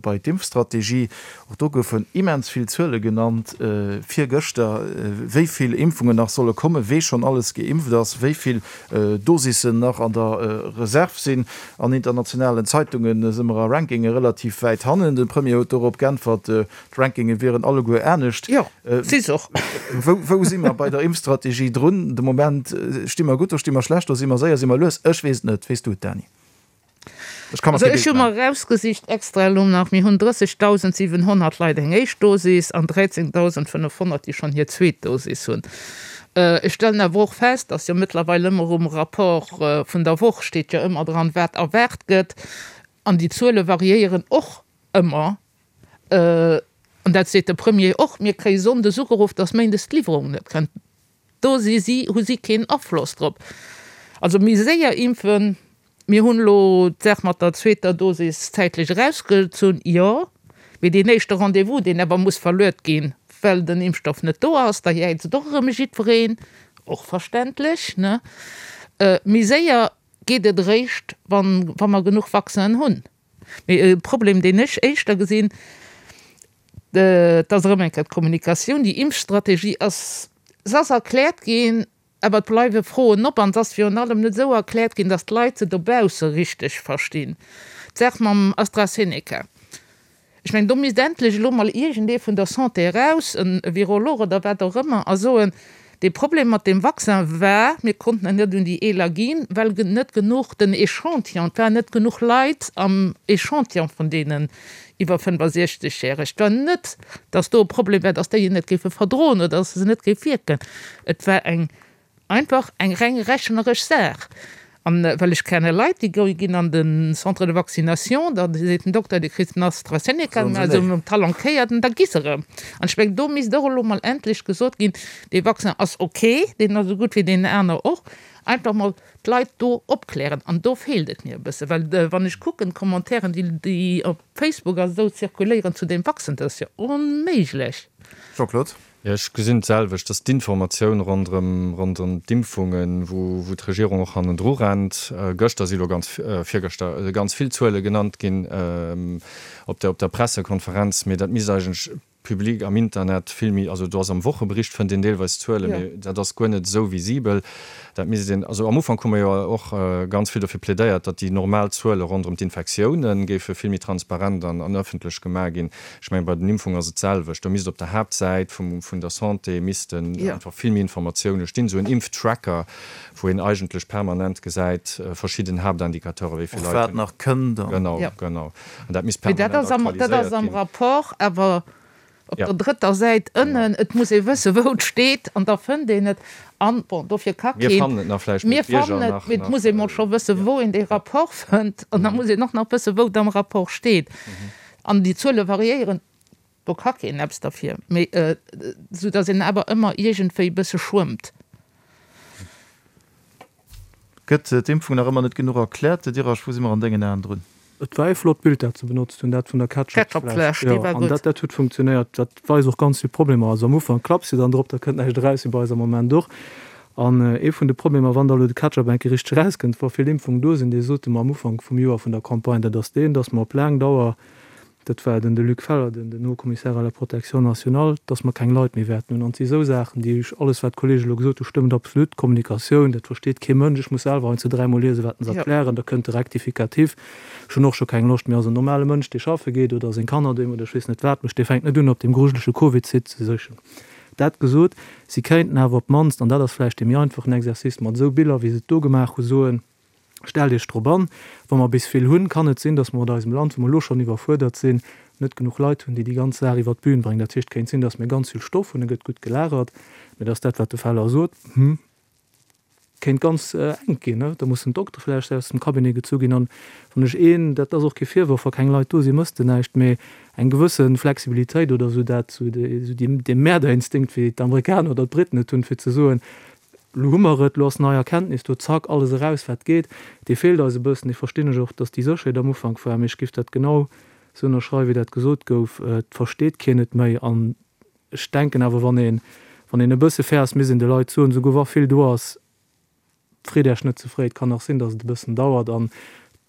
C: bei d'Impfstrategie. Och do goufen immens vill Zuele genannt virgëschter, wéi vill Impfungen nach solle kommen, wee schonn alles geimpft ass, wéi vill Dosissen nach an der Reserv sinn. An internationalen Zeitunge si mer a Rankinge relativ wäit hannen. De Premier huet dorop geäntwert, d'Rankinge wieren alleguer anescht.
D: Jo, si se och.
C: Wou si mer bei der Impfstrategie drun de Moment? Sti mer gutt do, sti mer schlecht do, si mer séier, si mer lues? Ech weess et net. Weess du et, Dany?
D: Ech ka mer kee Bild maachen. Ech hu mer erausgesicht extra elo nach, mir hunn 30.700 Leit eng éischt Dosis an 13.500, déi schonn hir zweet Dosis hunn. Ech stellen awer och fest, dass jo mëttlerweil ëmmer um Rapport vun der Woch steet jo ëmmer dran, wat erwaart gëtt. An déi Zuele variéieren och ëmmer. An dat seet de Premier och, Mir kréie sonndes ugeruff, dass méindes d'Liwwerung net kënnt. Do si si, hu si keen Afloss drop. Also méi séier impfen, mir hunn elo d'Saach mat der zweeter Dosis zäitlech erausgezunn, jo, mee deen éischte Rendez-vous, deen awer muss verluet ginn, well den Impfstoff net do ass, da jäizt och erëm jiddwereen, och verständlech, ne? Méi séier geet et eréischt, wann, wa mer genuch Vaccinen hunn. Mee e Problem, deen ech éischter gesinn, dat ass erëm eng Kéier d'Kommunikatioun. Déi Impfstrategie ass, se ass erkläert ginn, awer et bleiwe Froen op an se ass virun allem net esou erkläert ginn, datt d'Leit se dobausse richteg verstinn. D'Saach mam AstraZeneca, ech mengen, do misst endlech elo mol iergendee vun der Santé eraus, e Virolog oder wat och ëmmer, a soen, Dee Problem mat deem Vaccin war, mir konnten en net un déi Eeler ginn, well net genuch den Echantillon, et waren net genuch Leit am Echantillon vun deenen iwwer 65 järeg. Et war net, datt do e Problem war, datt déi en net géife verdroen oder datt se net géif wierken. Et war eng einfach eng reng rechneresch Saach. An well ech kenne Leit, déi ginn an de Centre de vaccination, da seet den Dokter, du kriss den AstraZeneca, mä esou um Talon kéiert an da gi se erëm. An ech mengen, do misst och elo mol endlech gesot ginn, dee Vaccin ass ok, deen ass esou gutt wéi deen aner och. Einfach mol d'Leit do opklären. An do feelt et mir e bësse, well wann ech kucken, d'Commentairen, déi op Facebook a sou zirkuléieren zu deem Vaccin, dat ass jo onméiglech.
C: Jean-Claude.
E: Jo, ech gesinn d'selwecht, dass d'Informatioun ronderëm, ronderëm d'Impfungen, wou, wou d'Regierung och hannendru rennt, gëschter si lo ganz, virgëschter, ganz vill Zuele genannt ginn op der, op der Pressekonferenz, mee dat misst eigentlech public am Internet vill méi, also do ass am Wochebericht fënnt een deelweis Zuelen, mee dat ass guer net esou visibel. Dat misst een, also am Ufank hu mer jo och ganz vill dofir plädéiert, datt déi normal Zuele ronderëm d'Infektiounen géife vill méi transparent an, an ëffentlech gemaach ginn. Ech mengen, bei den Impfungen ass et d'selwecht. Do misst op der Haaptsäit vum, vun der Santé missten einfach vill méi Informatioune stinn, esou en Impftracker, wou een eigentlech permanent gesäit, verschidden Haaptindicateuren, wéi vill
C: Leit. Och wat nach kënnt
E: an. Genau, genau. An dat misst permanent aktualiséiert
D: ginn. Dat ass am Rapport awer op der drëtter Säit ënnen. Et muss ee wëssen, wou et steet, an da fënnt een et. An, bon, dofir ka keen.
E: Mir fannen et nach vläicht, mee
D: d'Bierger nach. Mir fannen et, mee et muss ee mol scho wëssen, wou een dee Rapport fënnt. An da muss een och nach wëssen, wou et am Rapport steet. An déi Zuele variéieren, do ka keen eppes derfir, mee esou datt een awer ëmmer iergendwéi e bësse schwëmmt.
C: Gëtt d'Impfung nach ëmmer net genuch erkläert? Dirasch, wou si mer an dengen Aen drun?
F: Et war ee flott Bild, dat se benotzt hunn, dat vun der Ketchupfläsch. Jo, an dat, dat huet funktionéiert. Dat weist och ganz vill Problemer. Also am Ufank klapps de dann drop, da kënnt näischt eraus, wéi bei eis am Moment och. An ee vun de Problemer, wann da elo de Ketchup eng Kéier richteg erauskënnt, wa vill Impfungen do sinn, dee sote mer am Ufank vum Joer vun der Campagne, dat ass deen, dass mer op laang Dauer, dat war den de Luc Feller, den den Haut Commissaire à la protection nationale, dass mer keng Leit méi wäerten hunn. An et si esou Saachen, déi ech, alles wat d'Kollege elo gesot hu stëmmt absolut, d'Kommunikatioun, dat versteet kee Mënsch, ech muss selwer heiansdo dräimol liesen, wat se erklären, da kënnt de Rectificatif, ech hunn och scho keng Loscht méi. Also en normale Mënsch, dee schaffe geet oder seng Kanner doheem oder ech weess net wat mécht, dee fänkt net un op deem grujelege Covid-Site ze sichen. Dat gesot, si kéinten awer op d'mannst, an dat ass vläicht dee méi einfachen Exercice, mat esou Biller, wéi se et do gemaach hu soen, Stellt Iech drop an, wa mer bis vill hunn, kann et sinn, datt mer mat eisem Land, wou mer elo schonn iwwerfuerdert sinn, net genuch Leit hunn, déi déi ganz Saach iwwert d'Bühn bréngen. Dat heescht, et kéint sinn, datt mir ganz vill Stoff hunn, e gëtt gutt gelagert, mä datt dat, wat de Feller sot, hm, kéint ganz enk ginn. Da mussen d'Doktere vläicht aus dem Cabinet gezu ginn. An wann ech een, dat ass och kee Virworf, wa keng Leit do sinn, mëss de näischt, mä eng gewësse Flexibilitéit oder esou dat, esou dee Mäerderinstinkt, wéi d'Amerikaner oder d'Briten et hunn, fir ze soen, elo hu mer et, elo ass nei Erkenntnis do, zack, alles eraus wat geet, dee feelt eis e bëssen. Dee verstinn ech och, datt déi Sécherheet am Ufank war, mee ech géif dat genau esou ënnerschreiwen, wéi dat gesot gouf, et versteet keen et méi. An ech denken awer, wann een, wann een e bësse fair ass, misst een de Leit soen, esouguer wa vill do ass, Freet Äech net ze fréi, et kann nach sinn, dass et e bëssen dauert an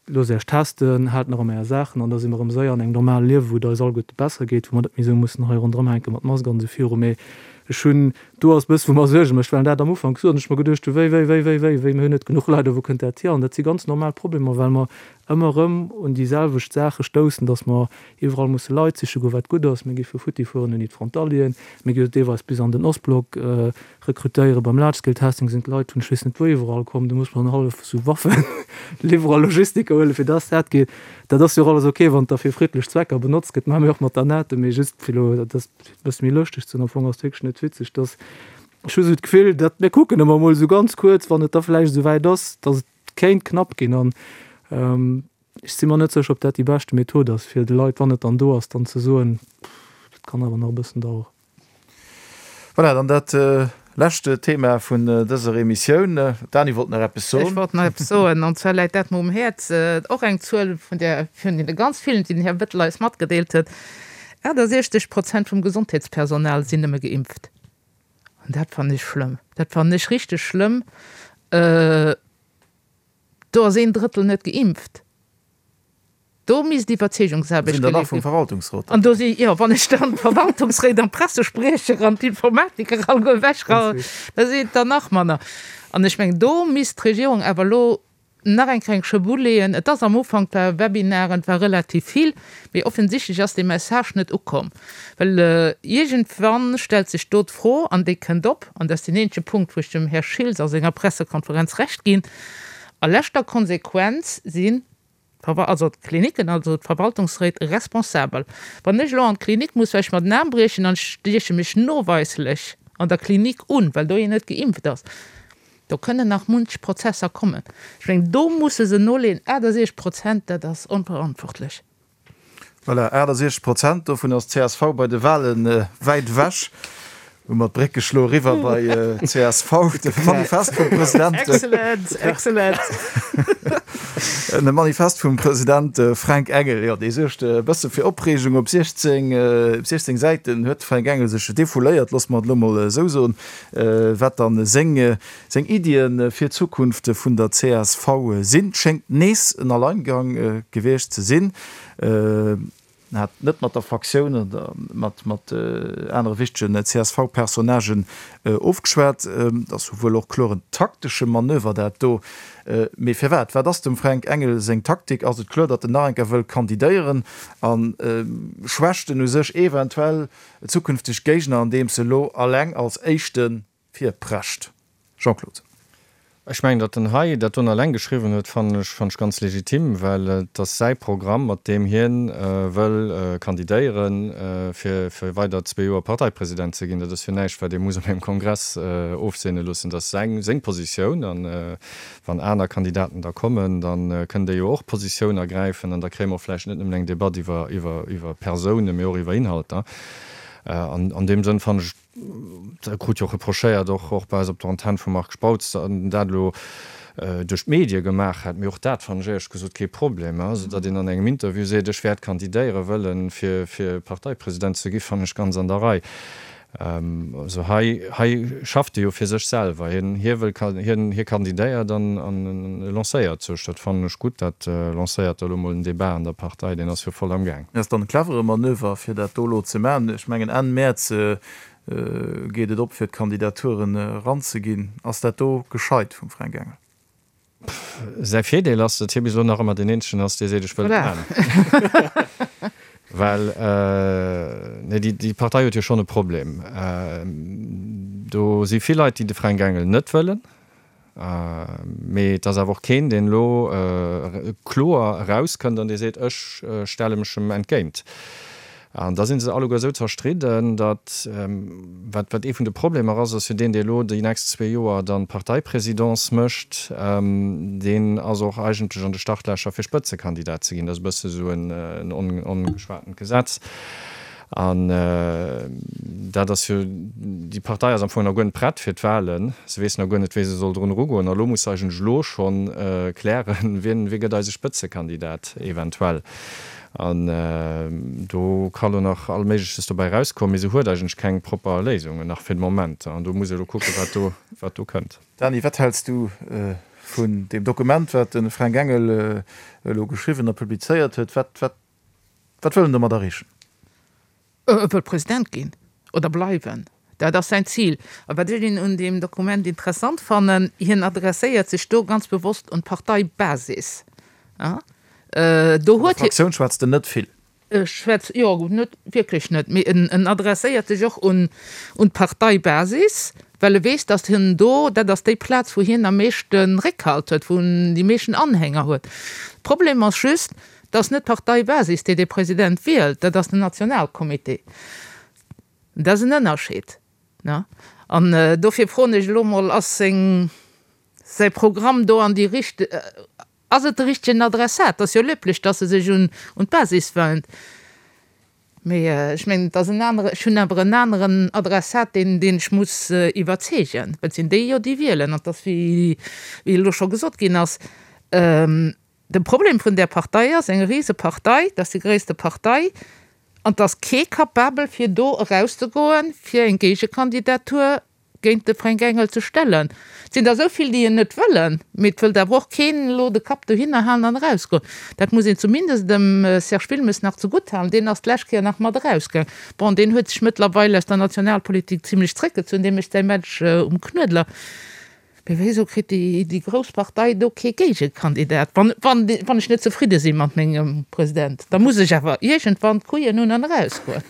F: loosst Äech testen, haalt nach ëm Är Saachen an da si mer erëm séier an engem normale Liewen, wou et eis alleguerte besser geet, wou mer net méi esou mussen hei ronderëm hänke mat Mask an esou viru. Mee ech hunn, do ass e bësse wou mer Suerge mécht, well dat am Ufank gesot hunn, ech mer geduecht hu wéi, wéi, wéi, wéi, wéi, wéi, mir hunn net genuch Leit a wou kënnt dat hier? An dat si ganz normal Problemer, well mer ëmmer erëm un déi selwecht Saache stoussen, dass mer iwwerall musse Leit siche goen, wat gutt ass. Mir gi vu futti fueren ouni d'Frontalieren, mir gi deelweis bis an den Ostblock rekrutéieren. Beim Large Scale Testing sinn d'Leit vun ech weess net wou iwwerall komm. Do muss mer dann hallef esou Waffeliwwerer, Logistiker huelen, fir dass dat geet. Dat ass jo och alles ok, wann et da fir friddlech Zwecker benotzt gëtt. Maache mir och mat der NATO. Mee just fir elo dat e bësse méi lëschteg ze hunn, am Fong ass et wierklech net witzeg, dass. Ech hu sou d'Gefill, datt, mir kucken ëmmer emol esou ganz kuerz, wann et da vläicht esou wäit ass, datt et kéint knapp ginn. An ech si mer net sécher, ob dat déi beschte Method ass, fir de Leit, wann et dann do ass, dann ze soen, Dat kann awer nach e bëssen daueren.
C: Voilà, dann dat lescht Thema vun dëser Emissioun. D'Dani wollt nach eppes soen.
D: Ech wollt nach eppes soen, an zwar läit dat mer um Häerz, och eng Zuel vun där, vun deene ganz villen, déi den Här Bettel eis matgedeelt huet, 68 Prozent vum Gesondheetspersonal sinn nëmme geimpft. An dat fannen ech schlëmm. Dat fannen ech richteg schlëmm. Do ass een Drëttel net geimpft. Do misst Iwwerzeegungsaarbecht
C: Sinn der nach vum Verwaltungsrot
D: An do si, jo, wann ech dann d'Verwaltungsréit an d'Pressespriecher an d'Informatiker alleguer ewechra, da sinn et der nach manner. An ech mengen, do misst d'Regierung awer elo nach eng kleng Schëpp uleeën. Et ass am Ufank, war Webinaren, et war relativ vill, mee offensichtlech ass dee Message net ukomm. Well iergendwann stellt sech do d'Fro, an déi kënnt op, an dat ass deen eenzege Punkt, wou ech dem Här Schiltz a senger Pressekonferenz Recht ginn, a leschter Konsequenz sinn also d'Klinicken, also d'Verwaltungsréit responsabel. Wann ech elo an d'Klinik muss, well ech mer den Aarm briechen an ech stieche mech noweislech an der Klinik un, well do een net geimpft ass, do kënnen nach munch Prozesser kommen. Ech mengen, do musse se noleeën. 68 Prozent, dat ass onverantwortlech.
C: Voilà, 68 Prozent, dovun ass d'CSV bei de Wahlen wäit ewech. Hu mer d'Bréck geschloe riwwer bei csv, de Manifest vum President.
D: Excellent, excellent.
C: De Manifest vum President Fränk Engel, jo, dee suergt e bësse fir Opreegung. Op 16, op 16 Säiten huet de Fränk Engel sech defouléiert, loosse mer et elo mol esou soen, wat dann seng, seng Iddie fir d'Zukunft vun der csv sinn. Schéngt nees en Alleingang gewiescht ze sinn. En hat net mat der Fraktioun oder mat mat anere wichtegen CSV-Personnagen ofgeschwat. Et ass jo wuel och kloer en taktesche Manöver dat do. Mee firwat? Wat ass dem Fränk Engel seng Taktik? Ass et kloer, datt en nach eng Kéier wëll kandidéieren a schwächt en u sech eventuell zukünfteg Géigner andeems e lo alleng als éischte virprescht? Jean-Claude.
E: Ech mengen, datt en hei dat don eleng geschriwwen huet, fannen ech, fannen ech ganz legitim, well et ass säi Programm, mat deem hien wëll kandidéieren, fir fir weider zwee Joer Parteipresident ze ginn. Dat ass jo näischt, wat ee muss op engem Kongress ofseene loossen. Dat ass säin, seng Positioun. An wann aner Kandidaten da kommen, da kënnen déi jo och Positioun ergräifen an da kréie mer och vläicht net nëmmen eng Debatt iwwer, iwwer, iwwer Persounen, mee och iwwer Inhalter. An an deem Sënn fannen ech, Dat krut jo och reprochéiert, och och bei eis op der Antenn vum Marc Spautz, datt en dat elo duerch d'Medie gemaach hätt. Mee och dat fannen ech éierlech gesot kee Problem. Also datt een an engem Interview seet, ech wäert kandidéiere wëllen, fir fir Parteipresident ze gi, fannen ech ganz an der Rei. Also hei hei schafft e jo fir sech selwer. Hien hie wëll hien hie kandidéiert an an e lancéiert sech. Dat fannen ech gutt. Dat lancéiert da elo mol en Debat an der Partei, deen ass jo voll am Gaang.
C: Ass dann e clevere Manöver, fir dat do elo ze maachen. Ech mengen Enn Mäerz geet et op, fir d'Kandidaturen eranzeginn. Ass dat do gescheit vum Fränk Engel?
E: Säi Virdeel ass, datt hie bis elo nach ëmmer deen eenzegen ass, dee seet, ech wëll et maachen. Well, nee, déi Partei huet jo schonn e Problem. Do si vill Leit, déi de Fränk Engel net wëllen. Mee et ass awer och keen, deen elo kloer erauskënnt an dee seet, ech stelle mech em entgéint. An da si se alleguer esou zerstridden, datt, wat wat ee vun de Problemer ass, ass jo deen, dee elo déi nächst zwee Joer dann d'Parteipresidence mécht, deen ass och eigentlech an de Startlächer fir Spëtzekandidat ze ginn. Dat ass e bësse esou en ongeschwatent Gesetz. An dat ass jo, déi Partei ass am Fong nach guer net prett fir d'Wahlen. Se weess nach guer net, wéi se soll drun erugoen. A lo muss se eigentlech elo scho klären, wien, wie gëtt eise Spëtzekandidat eventuell. An do ka lo nach all Méigleches dobäi erauskommen, mee se huet eigentlech keng propper Léisung nach fir de Moment. An do muss ee lo kucken, wat do, wat do kënnt.
C: Dany, wat häls du vun deem Dokument, wat de Fränk Engel elo geschriwwen a publizéiert huet? Wat, wat Wat wëll en domat erreechen?
D: E wëll President ginn oder bleiwen. Dat ass säin Zil. A wat ech un deem Dokument interessant fannen, hien adresséiert sech do ganz bewosst un d'Parteibasis.
C: Do huet hie. Fraktioun schwätzt en net vill.
D: E schwätzt, jo, net wierklech net, mee en adresséiert sech och un d'Parteibasis, well e weess, datt hien do, dat ass déi Plaz, wou hien am meeschte Réckhalt huet, wou en déi meeschten Anhänger huet. Problem ass just, Et ass net d'Parteibasis, déi dee President wielt, dat ass den Nationalcomité. Dat ass en Ënnerscheed. An dofir froen ech elo mol, ass seng, säi Programm do an déi richt, ass et de richtegen Adressat? Et ass jo löblich, dass e sech un d'Basis went. Mee ech mengen, et ass en anere, ech hunn awer en aneren Adressat, deen, deen ech muss iwwerzeegen. Well et sinn déi jo, déi wielen. An et ass, wéi, wéi elo scho gesot ginn ass, de Problem vun där Partei ass, eng Risepartei, dat ass déi gréisste Partei, an et ass kee capabel, fir do erauszegoen, fir eng Géigekandidatur géint de Fränk Engel ze stellen. Et sinn der esou vill, déi en net wëllen, mee et wëllt awer och keen elo de Kapp dohinner halen an erausgoen. Dat muss een zumindest dem Serge Wilmes nach zegutt halen, deen ass d'lescht Kéier nach mat erausgaang. Bon, deen huet sech mëttlerweil aus der Nationalpolitik zimlech zréckgezunn, dee mécht säi Match um Knuedler. Mee wéisou kritt déi grouss Partei do kee Géigekandidat? Wann, wann, wann ech net zefridde si mat mengem President, da muss ech awer iergendwann d'Kouillen hunn an erausgoen.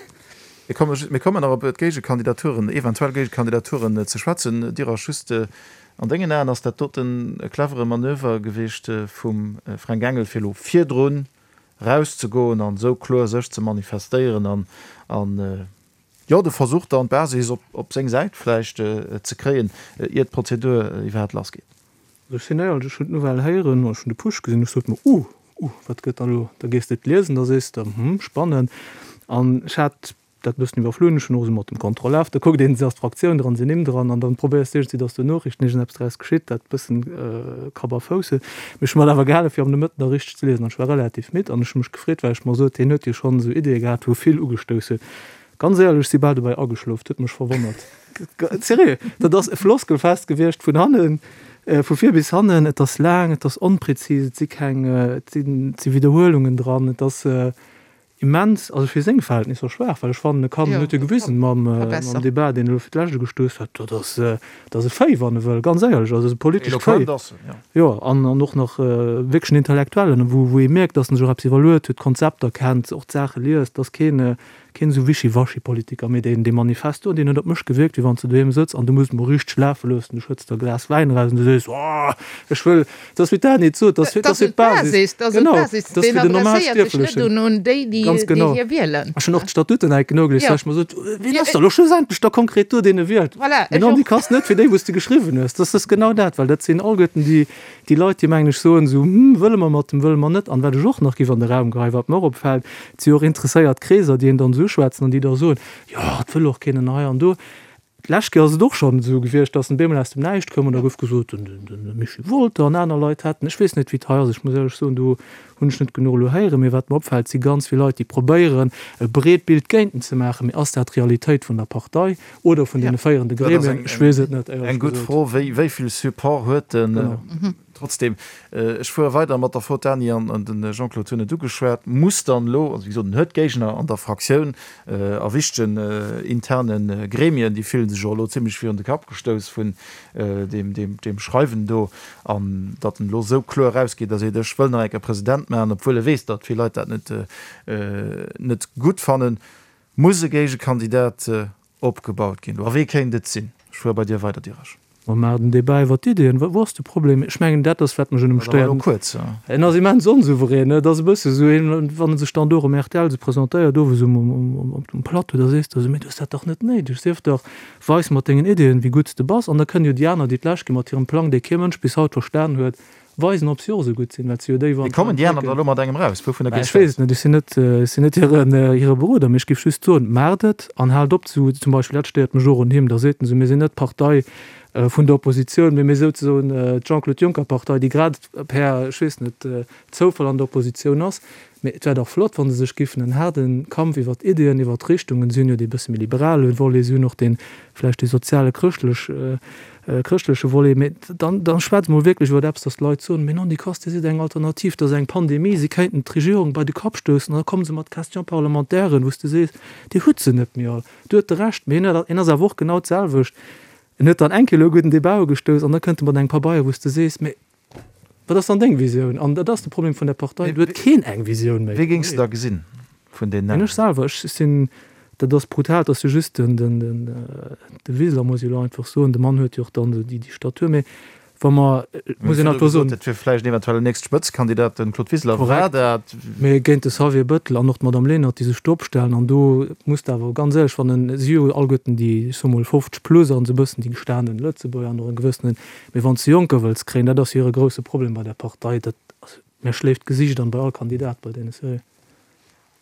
C: Mir komme, mir kommen nach op d'Géigekandidaturen, eventuell Géigekandidaturen ze schwätzen. Dirasch, just an dengen Aen, ass dat doten e clevere Manöver gewiescht vum Fränk Engel, fir elo virdrun erauszegoen an esou kloer sech ze manifestéieren an, an, Jo, de Versuch dann d'Basis op seng Säit vläicht ze kréien, ier d'Prozedur iwwerhaapt lass geet.
F: Also ech sinn éierlech, ech hunn d'Nouvelle héieren, ech hunn de Push gesinn, ech sot mer, Uh, uh, wat gëtt da elo? Da gees de et liesen, da sees de, Hm, spannend. An ech hat dat e bëssen iwwerflunn, ech hunn och esou mat dem Contrôle F, da kuckt een, ass d'Fraktioun dran, sinn Nimm dran, an dann probéiers de iergendwéi, datt do Noriichten, iergendeppes draus geschitt, dat e bëssen Kapp a Fouss huet. Mee ech hu mer et awer gehale fir am Nomëtten da richteg ze liesen an ech war relativ midd an ech hu mech gefreet, well ech mer sot, hien huet jo schonn esou Ideeë gehat, wou vill ugestouss huet. Ganz éierlech, ech si bal dobäi ageschlof, et huet mech verwonnert. Sérieux, dat ass e Floskelfest gewiescht vun hannen, vu vir bis hannen. Et ass laang, et ass onprezis, et si keng, et sinn, et si Widderhuelungen dran, et ass immens, also fir seng Verhältnisser schwaach, well ech fannen, e kann, en huet jo gewisen mam, mam Debat, deen e elo fir d'lescht ugestouss huet, dat ass, dat ass e Fait, wann e wëll, ganz éierlech, also e politescht Fait.
C: Eloquent ass en, jo.
F: Jo, an, an och nach wierklech en Intellektuellen, wou, wou ee mierkt, datt en sech och eppes iwwerluet huet, Konzepter kennt, och d'Saache liest, ass keen, Keen esou Wischiwaschi-Politiker, mee deen, dee Manifest do, deen huet op mech gewierkt, wéi wann s de doheem sëtz an du muss et mol richteg lafe loossen, du schëtts der e Glas Wäin eraus an du sees, Oh, ech wëll, et ass wéi d'Dany et sot, et ass fir, et ass fir d'Basis, genau, et ass fir den Normalstierflechen. Ganz genau. Ech hunn och d'Statuten enk nogelies, well ech mer sot, Wien ass da elo schlussendlech da konkret do, deen e wielt? Mee non, déi kanns net fir déi, wou s de geschriwwen hues. Dat ass genau dat, well dat sinn alleguerten déi, Déi Leit, déi, mengen ech, soen esou, Hm, wëlle mer mat dem, wëlle mer net. An wat ech och nach géif an de Raum geheien, wat mer och opfält, et si jo och interesséiert Kreeser, déi een dann esou uschwätzen an déi da soen, Jo, et wëll och keen en hei an do. D'lescht Kéier ass et och schonn esou gewiescht, dass en bemol aus dem Näischt koum an da gouf gesot, den, den, de Michel Wolter an aner Leit hätten, ech weess net, wéi et hei ass, ech muss éierlech soen, do hunn ech net genuch elo héieren, mee wat mer opfält, si ganz vill Leit, déi probéieren, e breet Bild géint en ze maachen. Mee ass dat d'Realitéit vun der Partei? Oder vun deene féierende Gremien, ech weess et net,
C: éierlech gesot. Eng gutt Fro, wéi vill Support huet en? Trotzdem, ech fuere weider mat der Fro, d'Dany an de Jean-Claude hunn et ugeschwat, muss dann elo, also wéi gesot, en huet Géigner an der Fraktioun, a wichtegen interne Gremien, déi fillen sech och elo zimlech virun de Kapp gestouss vun deem Schreiwen do, an datt en elo esou kloer erausgeet a seet, ech wëll nach eng Kéier President maachen, obwuel e weess, datt vill Leit dat net gutt fannen. Muss e Géigekandidat opgebaut ginn? A wee kéint et sinn? Ech fuere bei dir weider, Diresch.
F: Ma maach den Débat iwwer d'Iddien. Wou ass de Problem? Ech mengen, dat ass, wat mech un em stéiert. En ass immens onsouverän. Et ass e bësse esou een, wann e sech dann do erëm rtl esou presentéiert, owes um, um Plateau, da sees de esou, Mee du hues dat dach net néideg. Sief dach weis mat dengen Iddien, wéi gutt s de bass. An da kënnen jo déi aner, déi d'lescht gi mat hirem Plang, dee kee Mënsch bis haut verstan huet, Weisen, ob si och esou gutt sinn, well et si jo déi,
C: wou Mee kommen déi aner da elo mat engem raus?
F: Wouvunner gees du aus? Ech weess et net, ech sinn net, ech sinn net hiren, hire Beroder, mee ech géif just soen, Maacht et an haalt op zu, zum Beispill, dat stéiert mech och un him, da seet en esou, mir sinn net d'Partei vun der Oppositioun, mee mir souzesoen d'Jean-Claude Juncker-Partei, déi grad per, ech weess net, Zoufall an der Oppositioun ass. Mee et wär dach flott, wa se sech giffen en haarde Kampf iwwert Iddien, iwwert Richtungen, si hunn jo dee bësse méi liberale Volet, si hunn och dee vläicht dee soziale chrëschtlech, chrëschtleche Volet, mee dann, da schwätzt emol wierklech iwwert eppes, datt d'Leit soen, mee non, déi Kass, déi sidd eng Alternativ, dat ass eng Pandemie, si kéinten d'Regierung bei de Kapp stoussen an da komme se mat Question-parlementairen, wou s de sees, Dir hutt se net méi all. Du huet de Recht, mee hien ass awer och genau d'selwecht, en huet dann eng Kéier elo e gudden Débat ugestouss an da kënnt e mat engem Pabeier, wou s de sees, mee Wat ass dann deng Visioun? An dat ass de Problem vun der Partei, do huet keen eng Visioun méi.
C: Wee géings de da gesinn vun den
F: Namen? Ech selwer, ech sinn, dat ass brutal, dat ass jo just den, den, de Wiseler, muss ech elo einfach soen. De Mann huet jo och dann déi, déi Statur. Mee. Wa mer, et muss een einfach soen.
C: Dat wier vläicht eventuell en nächste Spëtzekandidat, den Claude Wiseler war
F: dat. Mee géint de Xavier Bettel an och d'Madame Lenert, déi sech do opstellen, an do muss de awer ganz éierlech, wann en, si jo alleguerten déi, ech soe mol 50 plus an esou e bëssen déi gestanen Lëtzebuerger an och e gewëssenen, mee wann s de Jonker wëlls kréien, dat ass jo hire grousse Problem bei där Partei, dat, also mir schléift d'Gesiicht an bei all Kandidat bei deene, sérieux.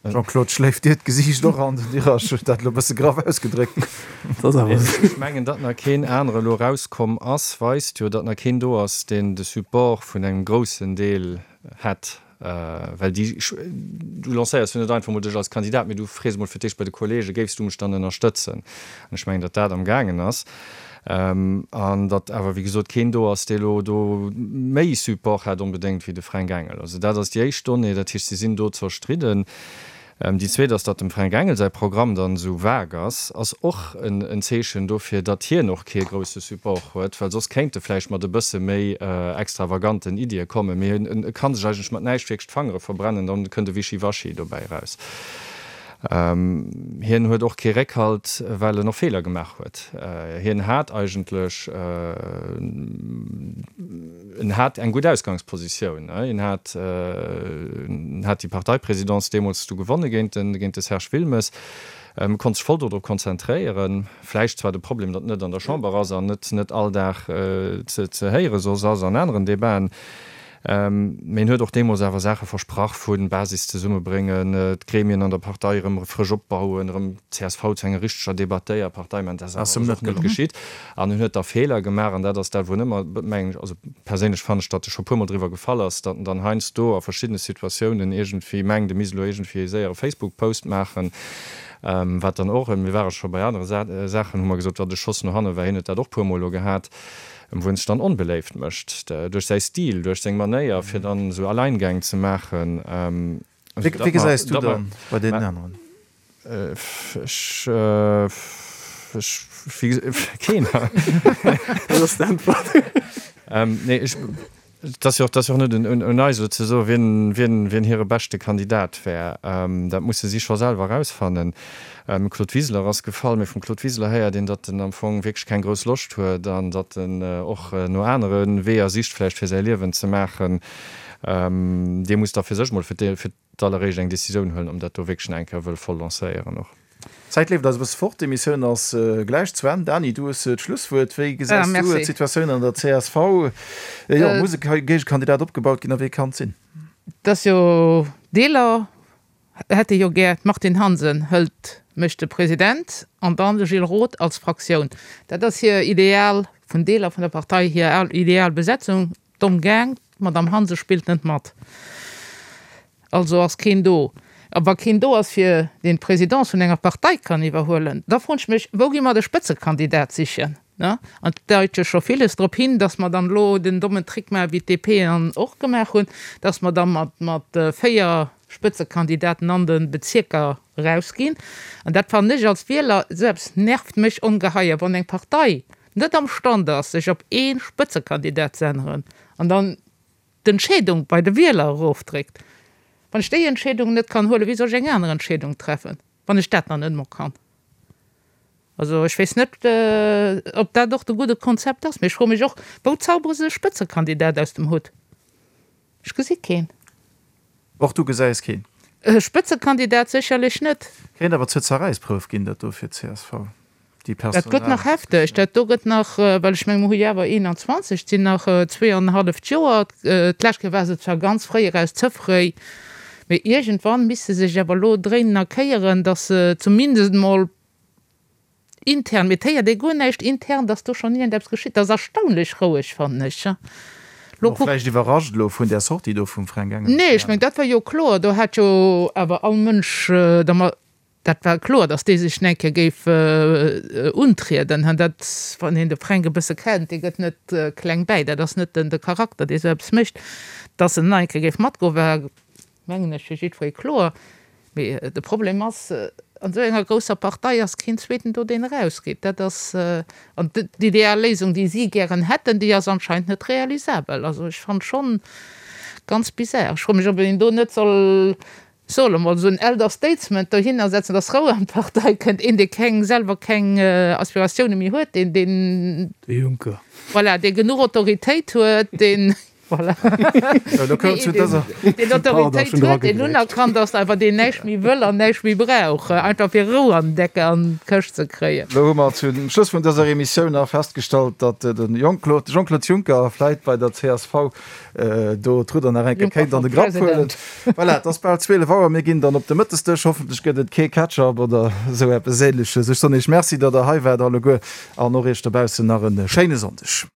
C: Jean-Claude, schléift dir d'Gesiicht och an? Den Dirac huet dat elo e bësse graff ausgedréckt.
E: Dat ass awer esou. Ech mengen, datt nach keen anere elo erauskomm ass, weist jo, datt nach keen do ass, deen de Support vun engem groussen Deel hätt. Well déi, du lancéiers jo net einfach emol dech als Kandidat, mee du frees emol fir d'éischt bei de Kollegen, Géifs du mech dann ënnerstëtzen? An ech mengen, datt dat amgaangen ass. An datt awer, wéi gesot, keen do ass, dee elo do méi Support hätt onbedéngt wéi de Fränk Engel. Also dat ass déi éischt Donnée, dat heescht, si sinn do zerstridden. Déi zweet ass, datt dem Fränk Engel säi Programm dann esou vague ass, ass och en Zeechen dofir, datt hien och kee grousse Support huet, well soss kéint e vläicht mat e bësse méi extravaganten Iddie kommen. Mee e ka sech eigentlech mat näischt wierklech d'Fangere verbrennen, dann kënnt e Wischiwaschi dobäi eraus. Hien huet och kee Réckhalt, well en och Feeler gemaach huet. Hien hat eigentlech, en hat eng gutt Ausgangspositioun. Hien hat, en hat déi Parteipresidence deemools du gewonne géint de, géint de Serge Wilmes, konnt sech voll dodrop konzentréieren. Vläicht zwar de Problem, datt en net an der Chamber ass an net, net all Dag ze, ze héiere soss ass an aneren Debaten. Mee en huet och deemools awer Saache versprach vu Basis zesummebréngen, d'Gremien an der Partei erëm frësch opbauen, erëm d'CSV zu enger richteger Debattéierpartei maachen. Dat ass awer alles och net geschitt. An en huet da Feeler gemaach. An dat ass dat, wou en ëmmer, mengen ech, also perséinlech fannen ech, datt e scho puermol driwwer gefall ass, datt en dann heiansdo a verschiddene Situatiounen iergendwéi mengt, e misst elo iergendwéi e séiere Facebook-Post maachen, wat dann och, mir ware scho bei anere Saachen, hu mer gesot, wat e Schoss no hanne war, hien huet dat och puermol elo gehat. Wou en sech dann onbeléift mécht duerch säi Stil, duerch seng Manéier, fir dann esou Alleingäng ze maachen.
C: Wéi gesäis du dann bei deenen aneren?
E: Ech, ech, keen.
F: Dat ass d'Äntwert.
E: Nee, ech. Et ass jo och, et ass jo och net un eis elo ze soen, wien, wien, wien hire beschte Kandidat wär. Dat musse si scho selwer erausfannen. Claude Wiseler ass gefall, mee vum Claude Wiseler héiert een, datt en am Fong wierklech keng grouss Loscht huet an datt en och no anere Weeër sicht vläicht fir säi Liewen ze maachen. Dee muss da fir sech mol fir d'alleréischt eng Decisioun huelen, ob en dat do wierklech nach eng Kéier wëll voll lancéieren och.
C: D'Zäit leeft eis e bësse fort, d'Emissioun ass gläich zu Enn. Dany, du hues d'Schlusswuert. Wéi gesäis du d'Situatioun an der csv? Jo, muss e Géigekandidat opgebaut ginn a wee kann et sinn?
D: Et ass jo Deeler hätte jo gär, d'Martine Hansen hëlt, mécht de President an dann de Gilles Roth als Fraktioun. Dat ass hir ideal, vun Deeler vun der Partei hir ideal Besetzung. Domm gaang, d'Madame Hansen spillt net mat, also ass keen do. A wa keen do ass fir deen d'Présidence vun enger Partei kann iwwerhuelen, da froen ech mech, wou gi mer de Spëtzekandidat sichen? An et deit jo scho villes drop hin, datt mer dann elo den dommen Trick maachen, wéi d'DP en och gemaach hunn, datt mer da mat mat 4 Spëtzekandidaten an de Bezierker erausginn. An dat fannen ech als Wieler, esou eppes nervt mech ongeheier, wann eng Partei net am Stand ass, sech op ee Spëtzekandidat ze änneren an dann d'Entscheedung bei de Wieler erofdréckt. Wann ech déi Entscheedung net kann huelen, wéi soll ech eng aner Entscheedung treffen, wann ech dat nach net emol kann? Also ech weess net, ob dat och de gudde Konzept ass. Mee ech froe mech och, wou zaubere se e Spëtzekandidat aus dem Hutt? Ech gesi keen.
C: Och du gesäis keen?
D: E Spëtzekandidat sécherlech net.
C: Kéint awer zur Zerräissprouf ginn, dat do fir d'CSV, déi
D: Dat gëtt nach hefteg. Dat do gëtt nach, well ech menge mer hu jo awer 21, et sinn nach zweeanenhalleft Joer. D'lescht Kéier war se zwar ganz fréi eraus, ze fréi, mee iergendwann misste se sech awer elo dréinen a kéieren, datt se zumindest emol intern, mee et héiert ee guer näischt intern, datt do schonn iergendeppes geschitt. Dat ass erstaunlech roueg, fannen ech.
C: Lo kuck. Vläicht iwwerrascht elo vun där Sortie do vum Fränk Engel.
D: Nee, ech mengen, dat war jo kloer. Do hat jo awer all Mënsch da ma, dat war kloer, datt dee sech eng Kéier géif untrieden. Dat, wann een de Fränk e bësse kennt, dee gëtt net kleng bäi. Dat ass net de Charakter, dee sou eppes mécht. Datt en nach eng Kéier géif matgoen, war mengen ech, fir jiddweree kloer. Mee de Problem ass, an esou enger grousser Partei ass keen Zweeten do, deen erausgeet. Dat ass, an d'ideal Léisung, déi si gären hätten, déi ass anscheinend net realisabel. Also ech fannen schonn ganz bizarre. Ech froe mech, ob een do net soll. Solle mol esou en Elder Statesman dohinner setzen, dass Rou an d'Partei kënnt, een dee keng, selwer keng Aspiratioune méi huet, deen, deen.
F: De Juncker.
D: Voilà, dee genuch Autoritéit huet, deen, voilà, deen Autoritéit huet, deen unerkannt ass, awer deen näischt méi wëll an näischt méi brauch, einfach fir Rou an d'Decke, an d'Këscht ze kréien.
C: Elo hu mer zum Schluss vun dëser Emissioun nach festgestallt, datt de Jean-Claude Juncker vläit bei der csv do d'Rudder nach eng Kéier kéint an de Grapp huelen. Voilà, et ass bal 12 Auer, mir ginn dann op de Mëttesdësch. Hoffentlech gëtt et kee Ketchup oder esou eppes Ähnleches. Ech soen Iech Merci, datt Der hei waart alleguer an och Iech dobaussen nach e schéine Sonndeg.